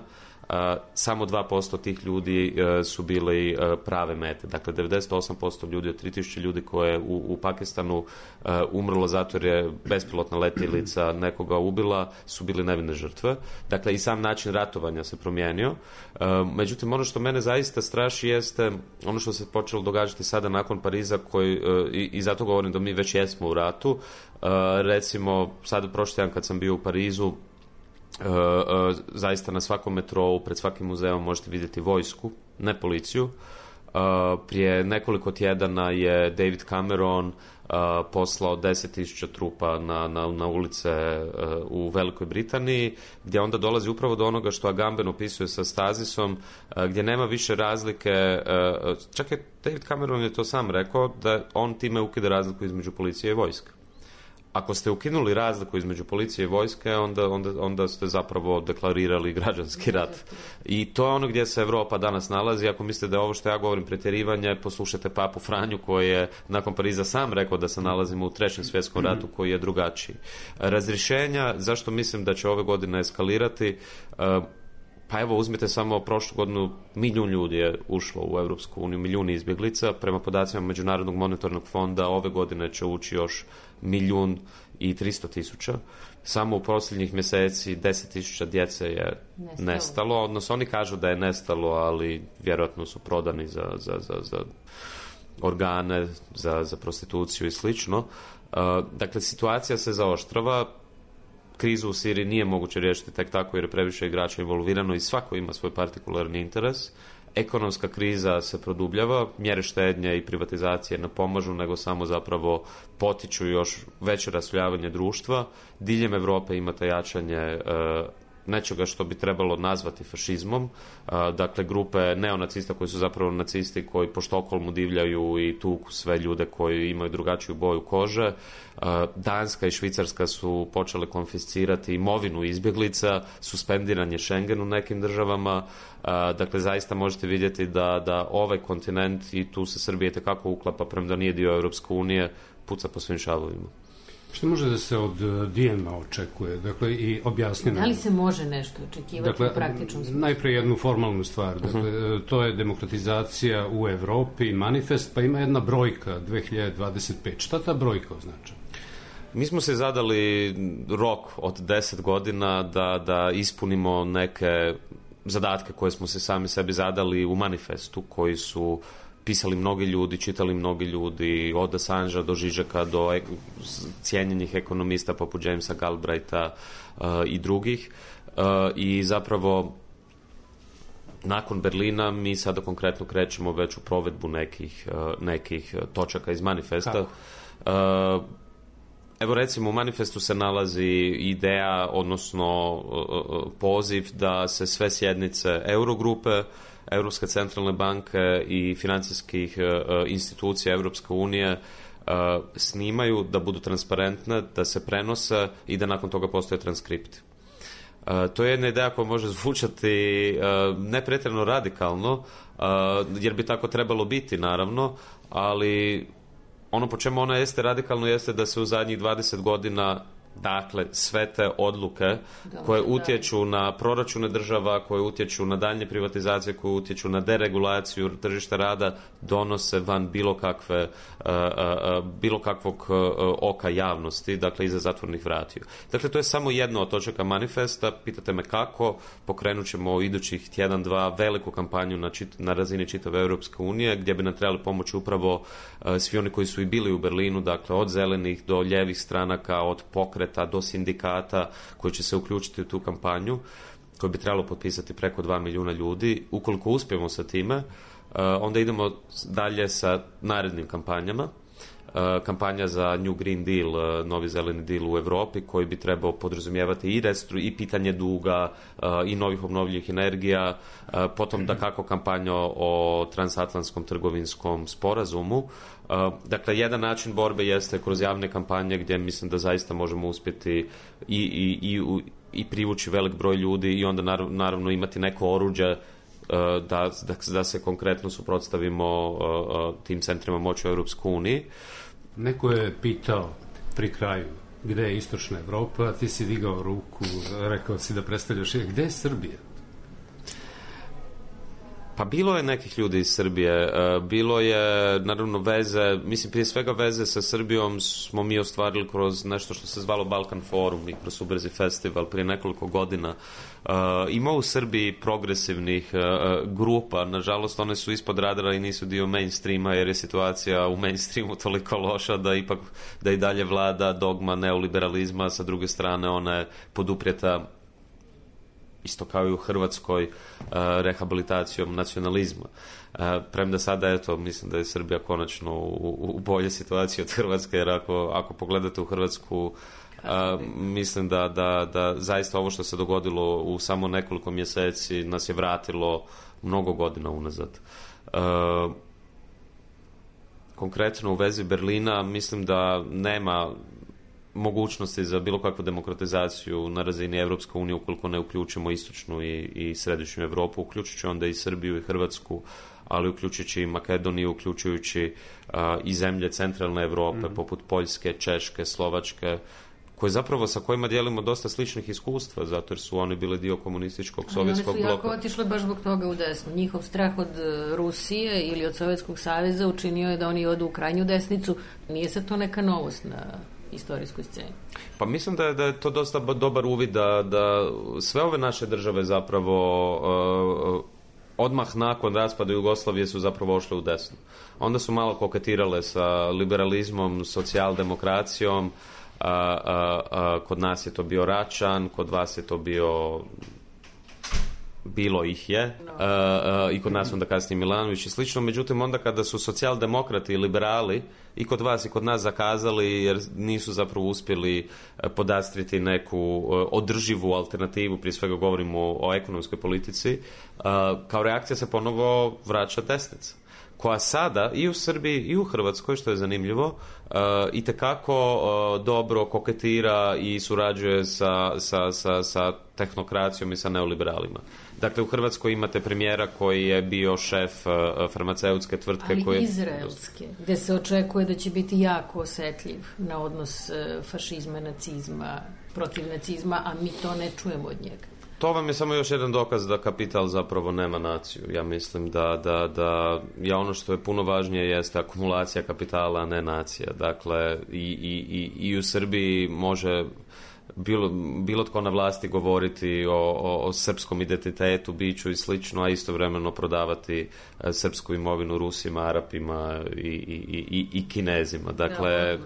Uh, samo dva posto tih ljudi uh, su bili uh, prave mete. Dakle, devedeset osam posto ljudi od tri tisuće ljudi koje u, u Pakistanu uh, umrlo zato jer je bespilotna letjelica nekoga ubila, su bili nevine žrtve. Dakle, i sam način ratovanja se promijenio. Uh, međutim, ono što mene zaista straši jeste ono što se počelo događati sada nakon Pariza, koji, uh, i, i zato govorim da mi već jesmo u ratu. Uh, recimo, sad prošli tjedan kad sam bio u Parizu, Uh, uh, zaista na svakom metrou, pred svakim muzeom možete vidjeti vojsku, ne policiju. Uh, prije nekoliko tjedana je David Cameron uh, poslao deset tisuća trupa na, na, na ulice uh, u Velikoj Britaniji, gdje onda dolazi upravo do onoga što Agamben opisuje sa Stazisom, uh, gdje nema više razlike. Uh, čak je David Cameron je to sam rekao, da on time ukida razliku između policije i vojske. Ako ste ukinuli razliku između policije i vojske, onda, onda, onda ste zapravo deklarirali građanski rat. I to je ono gdje se Europa danas nalazi. Ako mislite da je ovo što ja govorim pretjerivanje, poslušajte Papu Franju koji je nakon Pariza sam rekao da se nalazimo u trećem svjetskom ratu koji je drugačiji. Razrješenja, zašto mislim da će ove godine eskalirati? Pa evo, uzmite samo prošlu godinu, milijun ljudi je ušlo u Europsku uniju, milijun izbjeglica. Prema podacima Međunarodnog monetarnog fonda ove godine će ući još milijun i tristo tisuća. Samo u posljednjih mjeseci deset tisuća djece je nestalo. nestalo. Odnosno, oni kažu da je nestalo, ali vjerojatno su prodani za, za, za, za organe, za, za prostituciju i slično. Uh, dakle, situacija se zaoštrava. Krizu u Siriji nije moguće riješiti tek tako jer je previše igrača involvirano i svako ima svoj partikularni interes. Ekonomska kriza se produbljava, mjere štednje i privatizacije ne pomažu, nego samo zapravo potiču još veće rasljavanje društva. Diljem Europe imate jačanje e, nečega što bi trebalo nazvati fašizmom. E, dakle, grupe neonacista koji su zapravo nacisti koji po Štokholmu divljaju i tuku sve ljude koji imaju drugačiju boju kože. Danska i Švicarska su počele konfiscirati imovinu izbjeglica, suspendiranje Schengen u nekim državama. Dakle, zaista možete vidjeti da, da ovaj kontinent, i tu se Srbija itekako uklapa, premda nije dio Europske unije, puca po svim šavovima. Što može da se od D M-a očekuje? Dakle, i objasnjeno. Da li se može nešto očekivati dakle, u praktičnom smislu? Najprije jednu formalnu stvar. Dakle, uh-huh. To je demokratizacija u Evropi, manifest, pa ima jedna brojka dvije hiljade dvadeset pet. Šta ta brojka označa? Mi smo se zadali rok od deset godina da, da ispunimo neke zadatke koje smo se sami sebi zadali u manifestu, koji su pisali mnogi ljudi, čitali mnogi ljudi, od Assangea do Žižeka, do ek- cijenjenih ekonomista poput Jamesa Galbraitha uh, i drugih. Uh, I zapravo nakon Berlina mi sada konkretno krećemo već u provedbu nekih, nekih točaka iz manifesta. Kako? Evo recimo u manifestu se nalazi ideja, odnosno poziv da se sve sjednice Eurogrupe, Europske centralne banke i financijskih institucija Europske unije snimaju, da budu transparentne, da se prenose i da nakon toga postoje transkripti. To je jedna ideja koja može zvučati ne pretjerano radikalno, jer bi tako trebalo biti naravno, ali ono po čemu ona jeste radikalno jeste da se u zadnjih dvadeset godina, dakle, sve te odluke koje utječu na proračune država, koje utječu na daljnje privatizacije, koje utječu na deregulaciju tržišta rada, donose van bilo kakve, uh, uh, bilo kakvog uh, oka javnosti, dakle, iza zatvornih vratiju. Dakle, to je samo jedno od točaka manifesta. Pitate me kako, pokrenut ćemo idućih tjedan, dva veliku kampanju na, čit, na razini čitave Europske unije, gdje bi nam trebali pomoći upravo uh, svi oni koji su i bili u Berlinu, dakle, od zelenih do ljevih stranaka, od pokreta do sindikata koji će se uključiti u tu kampanju, koju bi trebalo potpisati preko dva milijuna ljudi. Ukoliko uspijemo sa time, onda idemo dalje sa narednim kampanjama. Kampanja za New Green Deal, novi zeleni deal u Europi, koji bi trebao podrazumijevati i restru, i pitanje duga, i novih obnovljivih energija, potom da kako kampanja o transatlantskom trgovinskom sporazumu. Dakle, jedan način borbe jeste kroz javne kampanje, gdje mislim da zaista možemo uspjeti i, i, i, i privući velik broj ljudi i onda naravno imati neko oruđe da, da, da se konkretno suprotstavimo tim centrima moći u Europskoj uniji. Neko je pitao pri kraju gdje je istočna Evropa, ti si digao ruku, rekao si da predstavljaš, gdje je Srbija? Pa bilo je nekih ljudi iz Srbije, bilo je naravno veze, mislim prije svega veze sa Srbijom smo mi ostvarili kroz nešto što se zvalo Balkan Forum i kroz Subrzi festival prije nekoliko godina. Ima u Srbiji progresivnih grupa, nažalost one su ispod radara i nisu dio mainstreama, jer je situacija u mainstreamu toliko loša da ipak da i dalje vlada dogma neoliberalizma, sa druge strane ona je poduprijeta isto kao i u Hrvatskoj, uh, rehabilitacijom nacionalizma. Uh, premda sada, eto, mislim da je Srbija konačno u, u bolje situaciji od Hrvatske, jer ako, ako pogledate u Hrvatsku, uh, mislim da, da, da zaista ovo što se dogodilo u samo nekoliko mjeseci nas je vratilo mnogo godina unazad. Uh, konkretno u vezi Berlina, mislim da nema mogućnosti za bilo kakvu demokratizaciju na razini Europske unije ukoliko ne uključimo istočnu i, i središnju Europu, uključujući onda i Srbiju i Hrvatsku, ali uključujući i Makedoniju, uključujući uh, i zemlje centralne Europe, mm-hmm. poput Poljske, Češke, Slovačke, koje zapravo sa kojima dijelimo dosta sličnih iskustva, zato jer su oni bili dio komunističkog sovjetskog bloka. Oni su jako otišli baš zbog toga u desnu. Njihov strah od Rusije ili od Sovjetskog saveza učinio je da oni odu u krajnju desnicu. Nije se to neka novost na istorijskoj sceni. Pa mislim da je, da je to dosta dobar uvid da, da sve ove naše države zapravo uh, odmah nakon raspada Jugoslavije su zapravo ošle u desno. Onda su malo koketirale sa liberalizmom, socijaldemokracijom, a, a, a, kod nas je to bio Račan, kod vas je to bio bilo ih je no. a, a, i kod nas onda kasnije Milanović i slično, međutim onda kada su socijaldemokrati i liberali i kod vas i kod nas zakazali jer nisu zapravo uspjeli podastriti neku održivu alternativu, prije svega govorimo o, o ekonomskoj politici, a, kao reakcija se ponovo vraća desnica, koja sada i u Srbiji i u Hrvatskoj, što je zanimljivo, uh, itekako uh, dobro koketira i surađuje sa, sa, sa, sa tehnokracijom i sa neoliberalima. Dakle, u Hrvatskoj imate premijera koji je bio šef uh, farmaceutske tvrtke. Ali koje... izraelske, gdje se očekuje da će biti jako osjetljiv na odnos uh, fašizma, nacizma, protiv nacizma, a mi to ne čujemo od njega. To vam je samo još jedan dokaz da kapital zapravo nema naciju. Ja mislim da, da, da ja ono što je puno važnije jeste akumulacija kapitala, a ne nacija. Dakle, i, i, i, i u Srbiji može bilo, bilo tko na vlasti govoriti o, o, o srpskom identitetu, biću i slično, a istovremeno prodavati srpsku imovinu Rusima, Arapima i, i, i, i Kinezima. Dakle,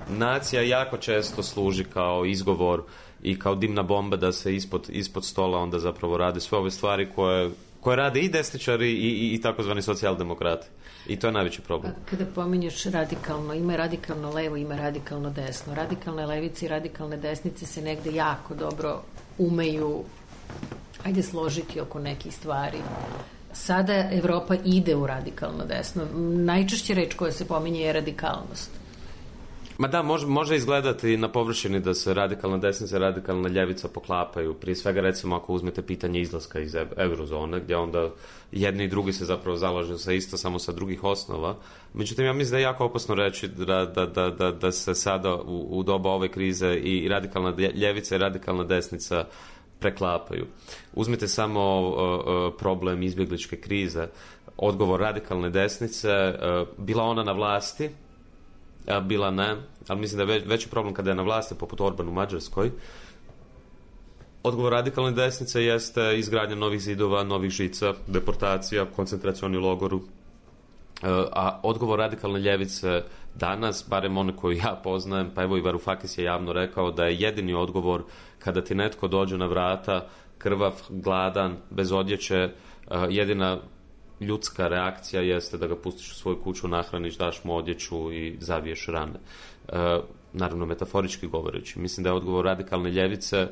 nacija jako često služi kao izgovor i kao dimna bomba da se ispod, ispod stola onda zapravo rade sve ove stvari koje, koje rade i desničari i, i, i takozvani socijaldemokrati. I to je najveći problem. Kada pominješ radikalno, ima radikalno levo, ima radikalno desno. Radikalne levice i radikalne desnice se negde jako dobro umeju, ajde, složiti oko nekih stvari. Sada Evropa ide u radikalno desno. Najčešće reč koja se pominje je radikalnost. Ma da, može, može izgledati na površini da se radikalna desnica i radikalna ljevica poklapaju. Prije svega, recimo, ako uzmete pitanje izlaska iz eurozone, gdje onda jedni i drugi se zapravo zalažu za isto, samo sa drugih osnova. Međutim, ja mislim da je jako opasno reći da, da, da, da, da se sada u, u doba ove krize i radikalna ljevica i radikalna desnica preklapaju. Uzmite samo uh, uh, problem izbjegličke krize. Odgovor radikalne desnice, uh, bila ona na vlasti, a bila ne, ali mislim da je veći problem kada je na vlasti, poput Orban u Mađarskoj. Odgovor radikalne desnice jeste izgradnja novih zidova, novih žica, deportacija, koncentracioni logoru. A odgovor radikalne ljevice danas, barem one koju ja poznajem, pa evo i Varoufakis je javno rekao da je jedini odgovor kada ti netko dođe na vrata, krvav, gladan, bez odjeće, jedina ljudska reakcija jeste da ga pustiš u svoju kuću, nahraniš, daš mu odjeću i zaviješ rane. E, naravno, metaforički govoreći. Mislim da je odgovor radikalne ljevice e,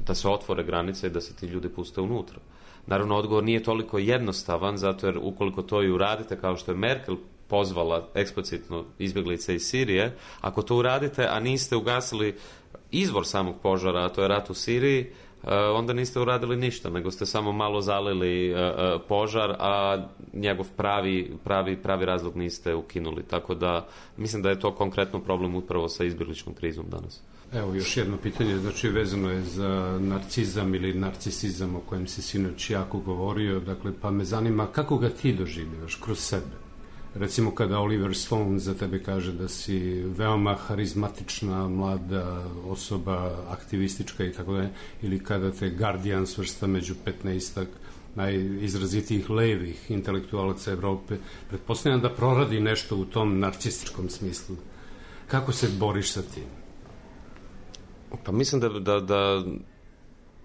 da se otvore granice i da se ti ljudi puste unutra. Naravno, odgovor nije toliko jednostavan, zato jer ukoliko to i uradite, kao što je Merkel pozvala eksplicitno izbjeglice iz Sirije, ako to uradite, a niste ugasili izvor samog požara, a to je rat u Siriji, onda niste uradili ništa, nego ste samo malo zalili uh, uh, požar, a njegov pravi, pravi, pravi razlog niste ukinuli. Tako da mislim da je to konkretno problem upravo sa izbjegličkom krizom danas. Evo još jedno pitanje, znači vezano je za narcizam ili narcisizam o kojem si sinoć jako govorio, dakle, pa me zanima kako ga ti doživljaš kroz sebe. Recimo kada Oliver Stone za tebe kaže da si veoma harizmatična mlada osoba, aktivistička i tako dalje, ili kada te Guardian svrsta među petnaestak najizrazitijih levih intelektualaca Evrope, pretpostavljam da proradi nešto u tom narcističkom smislu. Kako se boriš sa tim? Pa mislim da, da, da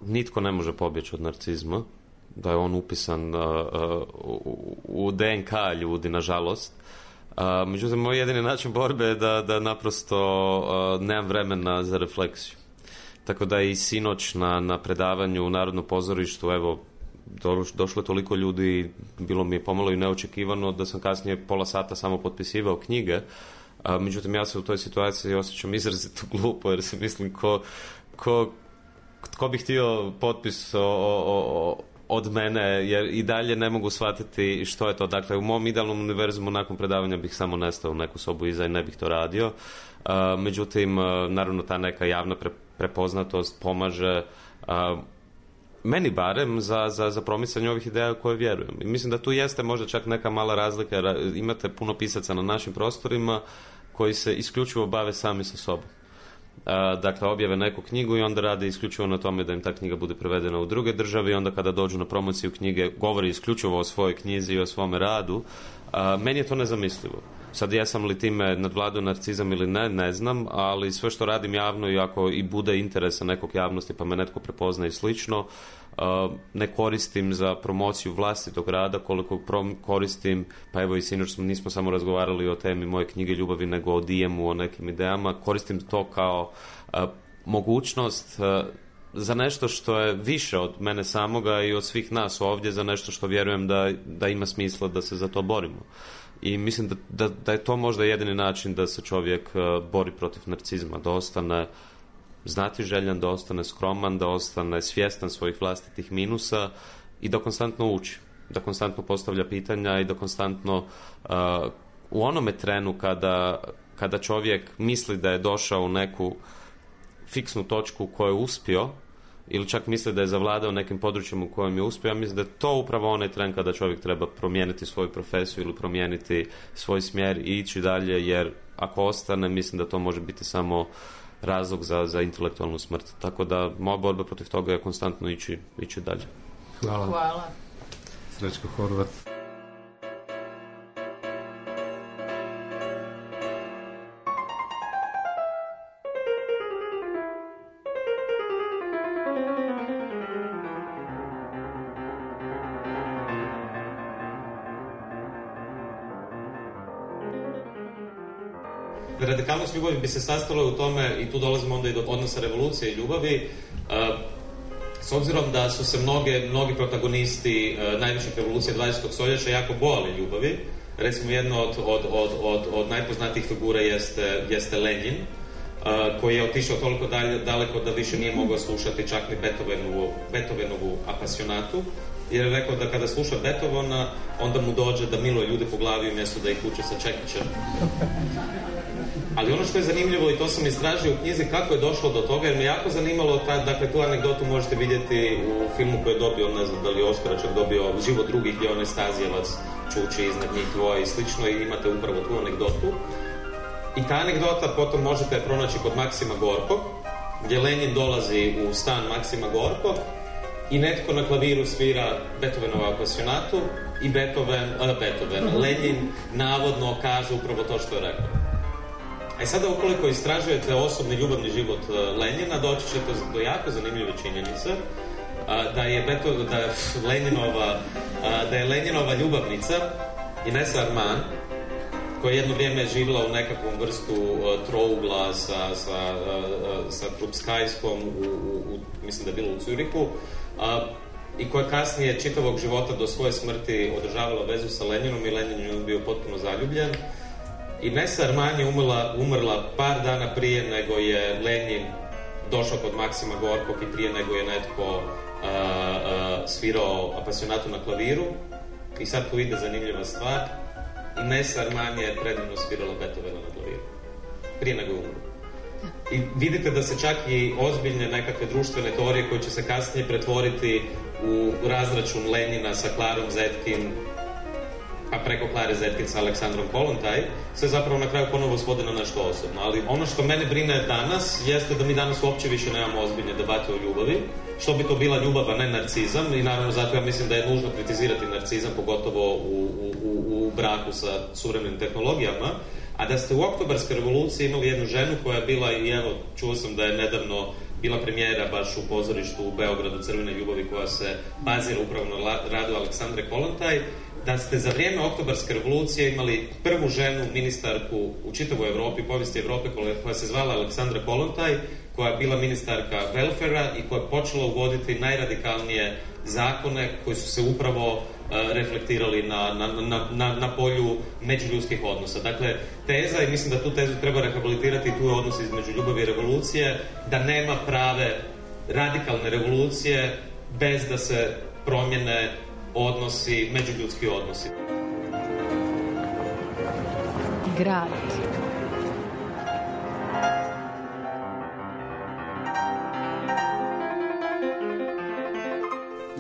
nitko ne može pobjeći od narcizma, da je on upisan uh, uh, u D N K ljudi, nažalost. Uh, međutim, moj jedini način borbe je da, da naprosto uh, nemam vremena za refleksiju. Tako da i sinoć na, na predavanju u Narodnom pozorištu, evo, do, došlo je toliko ljudi, bilo mi je pomalo i neočekivano da sam kasnije pola sata samo potpisivao knjige. Uh, međutim, ja se u toj situaciji osjećam izrazito glupo, jer se mislim ko, ko, ko bi htio potpis o, o, o od mene, jer i dalje ne mogu shvatiti što je to. Dakle, u mom idealnom univerzumu nakon predavanja bih samo nestao u neku sobu iza i ne bih to radio. Uh, međutim, uh, naravno, ta neka javna pre, prepoznatost pomaže uh, meni barem za, za, za promicanje ovih ideja u koje vjerujem. I mislim da tu jeste možda čak neka mala razlika, jer imate puno pisaca na našim prostorima koji se isključivo bave sami sa sobom. Dakle, objave neku knjigu i onda rade isključivo na tome da im ta knjiga bude prevedena u druge države i onda kada dođu na promociju knjige govori isključivo o svojoj knjizi i o svome radu. Meni je to nezamislivo. Sad, jesam li time nadvladao narcizam ili ne, ne znam, ali sve što radim javno i ako i bude interesa nekog javnosti pa me netko prepozna i slično, ne koristim za promociju vlastitog rada koliko koristim, pa evo i sinoć nismo samo razgovarali o temi moje knjige ljubavi, nego o D M-u, o nekim idejama, koristim to kao a, mogućnost a, za nešto što je više od mene samoga i od svih nas ovdje, za nešto što vjerujem da, da ima smisla da se za to borimo. I mislim da, da, da je to možda jedini način da se čovjek a, bori protiv narcizma, da ostane znatiželjan, da ostane skroman, da ostane svjestan svojih vlastitih minusa i da konstantno uči, da konstantno postavlja pitanja i da konstantno uh, u onome trenu kada, kada čovjek misli da je došao u neku fiksnu točku u kojoj je uspio ili čak misli da je zavladao nekim područjem u kojem je uspio, ja mislim da je to upravo onaj tren kada čovjek treba promijeniti svoju profesiju ili promijeniti svoj smjer i ići dalje, jer ako ostane, mislim da to može biti samo razlog za, za intelektualnu smrt. Tako da moja borba protiv toga je konstantno ići, ići dalje. Hvala. Hvala. Srećko Horvat. radikalnost ljubavi bi se sastala u tome, i tu dolazimo onda i do odnosa revolucije i ljubavi, s obzirom da su se mnoge, mnogi protagonisti najviših revolucija dvadesetog stoljeća jako bojali ljubavi. Recimo, jedna od, od, od, od, od najpoznatijih figura jeste, jeste Lenin, uh, koji je otišao toliko dalje, daleko da više nije mogao slušati čak ni Beethovenovu, Beethovenovu apasionatu, jer je rekao da kada sluša Beethovena, onda mu dođe da miluje ljude po glavi umjesto da ih uče sa čekićem. Ali ono što je zanimljivo, i to sam istražio u knjizi, kako je došlo do toga, jer me jako zanimalo, ta, dakle, tu anegdotu možete vidjeti u filmu koji je dobio, ne znam da li je Oskara čak dobio, Život drugih, gdje on je Stazijevac čuči iznad njih dvoje i slično, i imate upravo tu anegdotu. I ta anegdota potom možete pronaći kod Maksima Gorkog, gdje Lenin dolazi u stan Maksima Gorkog i netko na klaviru svira Beethovenovu apasionatu i Beethoven, a, Beethoven, Lenin navodno kaže upravo to što je rekao. A i sada, ukoliko istražujete osobni ljubavni život Lenina, doći ćete do jako zanimljive činjenice, da je, Beto, da je Leninova da je Leninova ljubavnica Inesa Arman, koja jedno vrijeme je živjela u nekakvom vrstu uh, trougla sa, sa, uh, sa Krupskajskom u, u, u, mislim da je bilo u Zürichu, uh, i koja kasnije čitavog života do svoje smrti održavala vezu sa Leninom, i Lenin je bio potpuno zaljubljen. Inesa Arman je umrla, umrla par dana prije nego je Lenin došao kod Maksima Gorkog i prije nego je netko Uh, uh, svirao apasionatu na klaviru. I sad tu ide zanimljiva stvar. Inesa Arman je predivno svirala Beethovena na klaviru prije nego je umro. I vidite da se čak i ozbiljne nekakve društvene teorije koje će se kasnije pretvoriti u razračun Lenina sa Klarom Zetkin, a preko Klare Zetkin sa Aleksandrom Kollontaj, sve zapravo na kraju ponovo svode na nešto osobno. Ali ono što mene brine danas jeste da mi danas uopće više nemamo ozbiljne debate o ljubavi. Što bi to bila ljubav, a ne narcizam, i naravno zato ja mislim da je nužno kritizirati narcizam, pogotovo u, u, u braku sa suvremenim tehnologijama. A da ste u Oktobarskoj revoluciji imali jednu ženu koja je bila, i evo, čuo sam da je nedavno bila premijera baš u pozorištu u Beogradu Crvene ljubavi, koja se bazira upravo na radu Aleksandre Kollontaj, da ste za vrijeme Oktobarske revolucije imali prvu ženu ministarku u čitavoj Europi, povijesti Europe, koja se zvala Aleksandra Kollontaj, koja je bila ministarka welfarea i koja je počela uvoditi najradikalnije zakone koji su se upravo uh, reflektirali na, na, na, na, na polju međuljudskih odnosa. Dakle, teza, i mislim da tu tezu treba rehabilitirati, tu je odnos između ljubavi i revolucije, da nema prave radikalne revolucije bez da se promjene odnosi, međuljudski odnosi. Grad.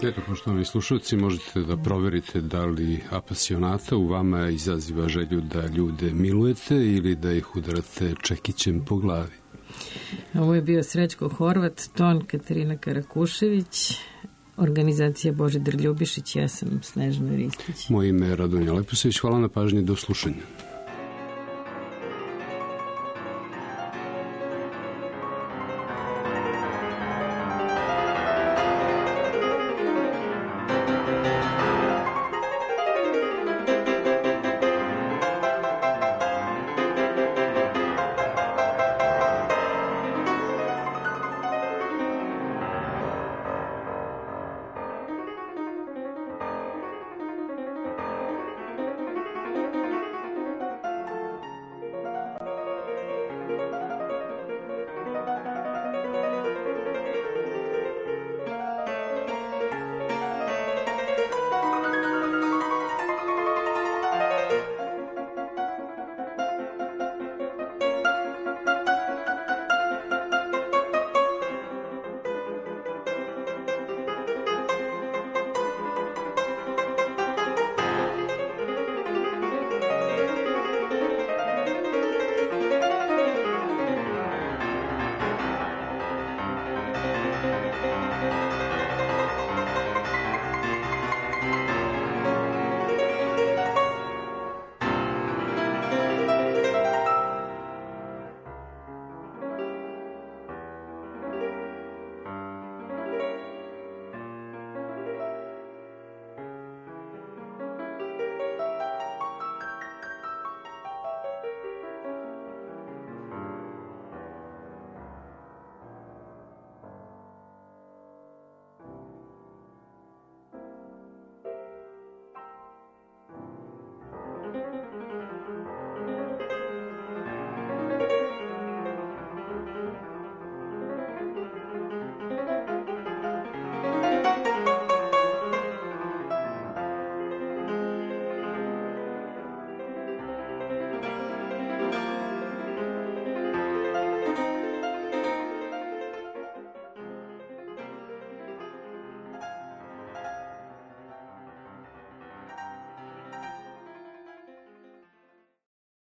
Eto, poštovani slušalci, možete da proverite da li apasionata u vama izaziva želju da ljude milujete ili da ih udarate čekićem po glavi. Ovo je bio Srećko Horvat, ton Katarina Karakušević, organizacija Božidar Ljubišić, ja sam Snežana Ristić. Moje ime je Radonja Leposević, hvala na pažnji, do slušanja.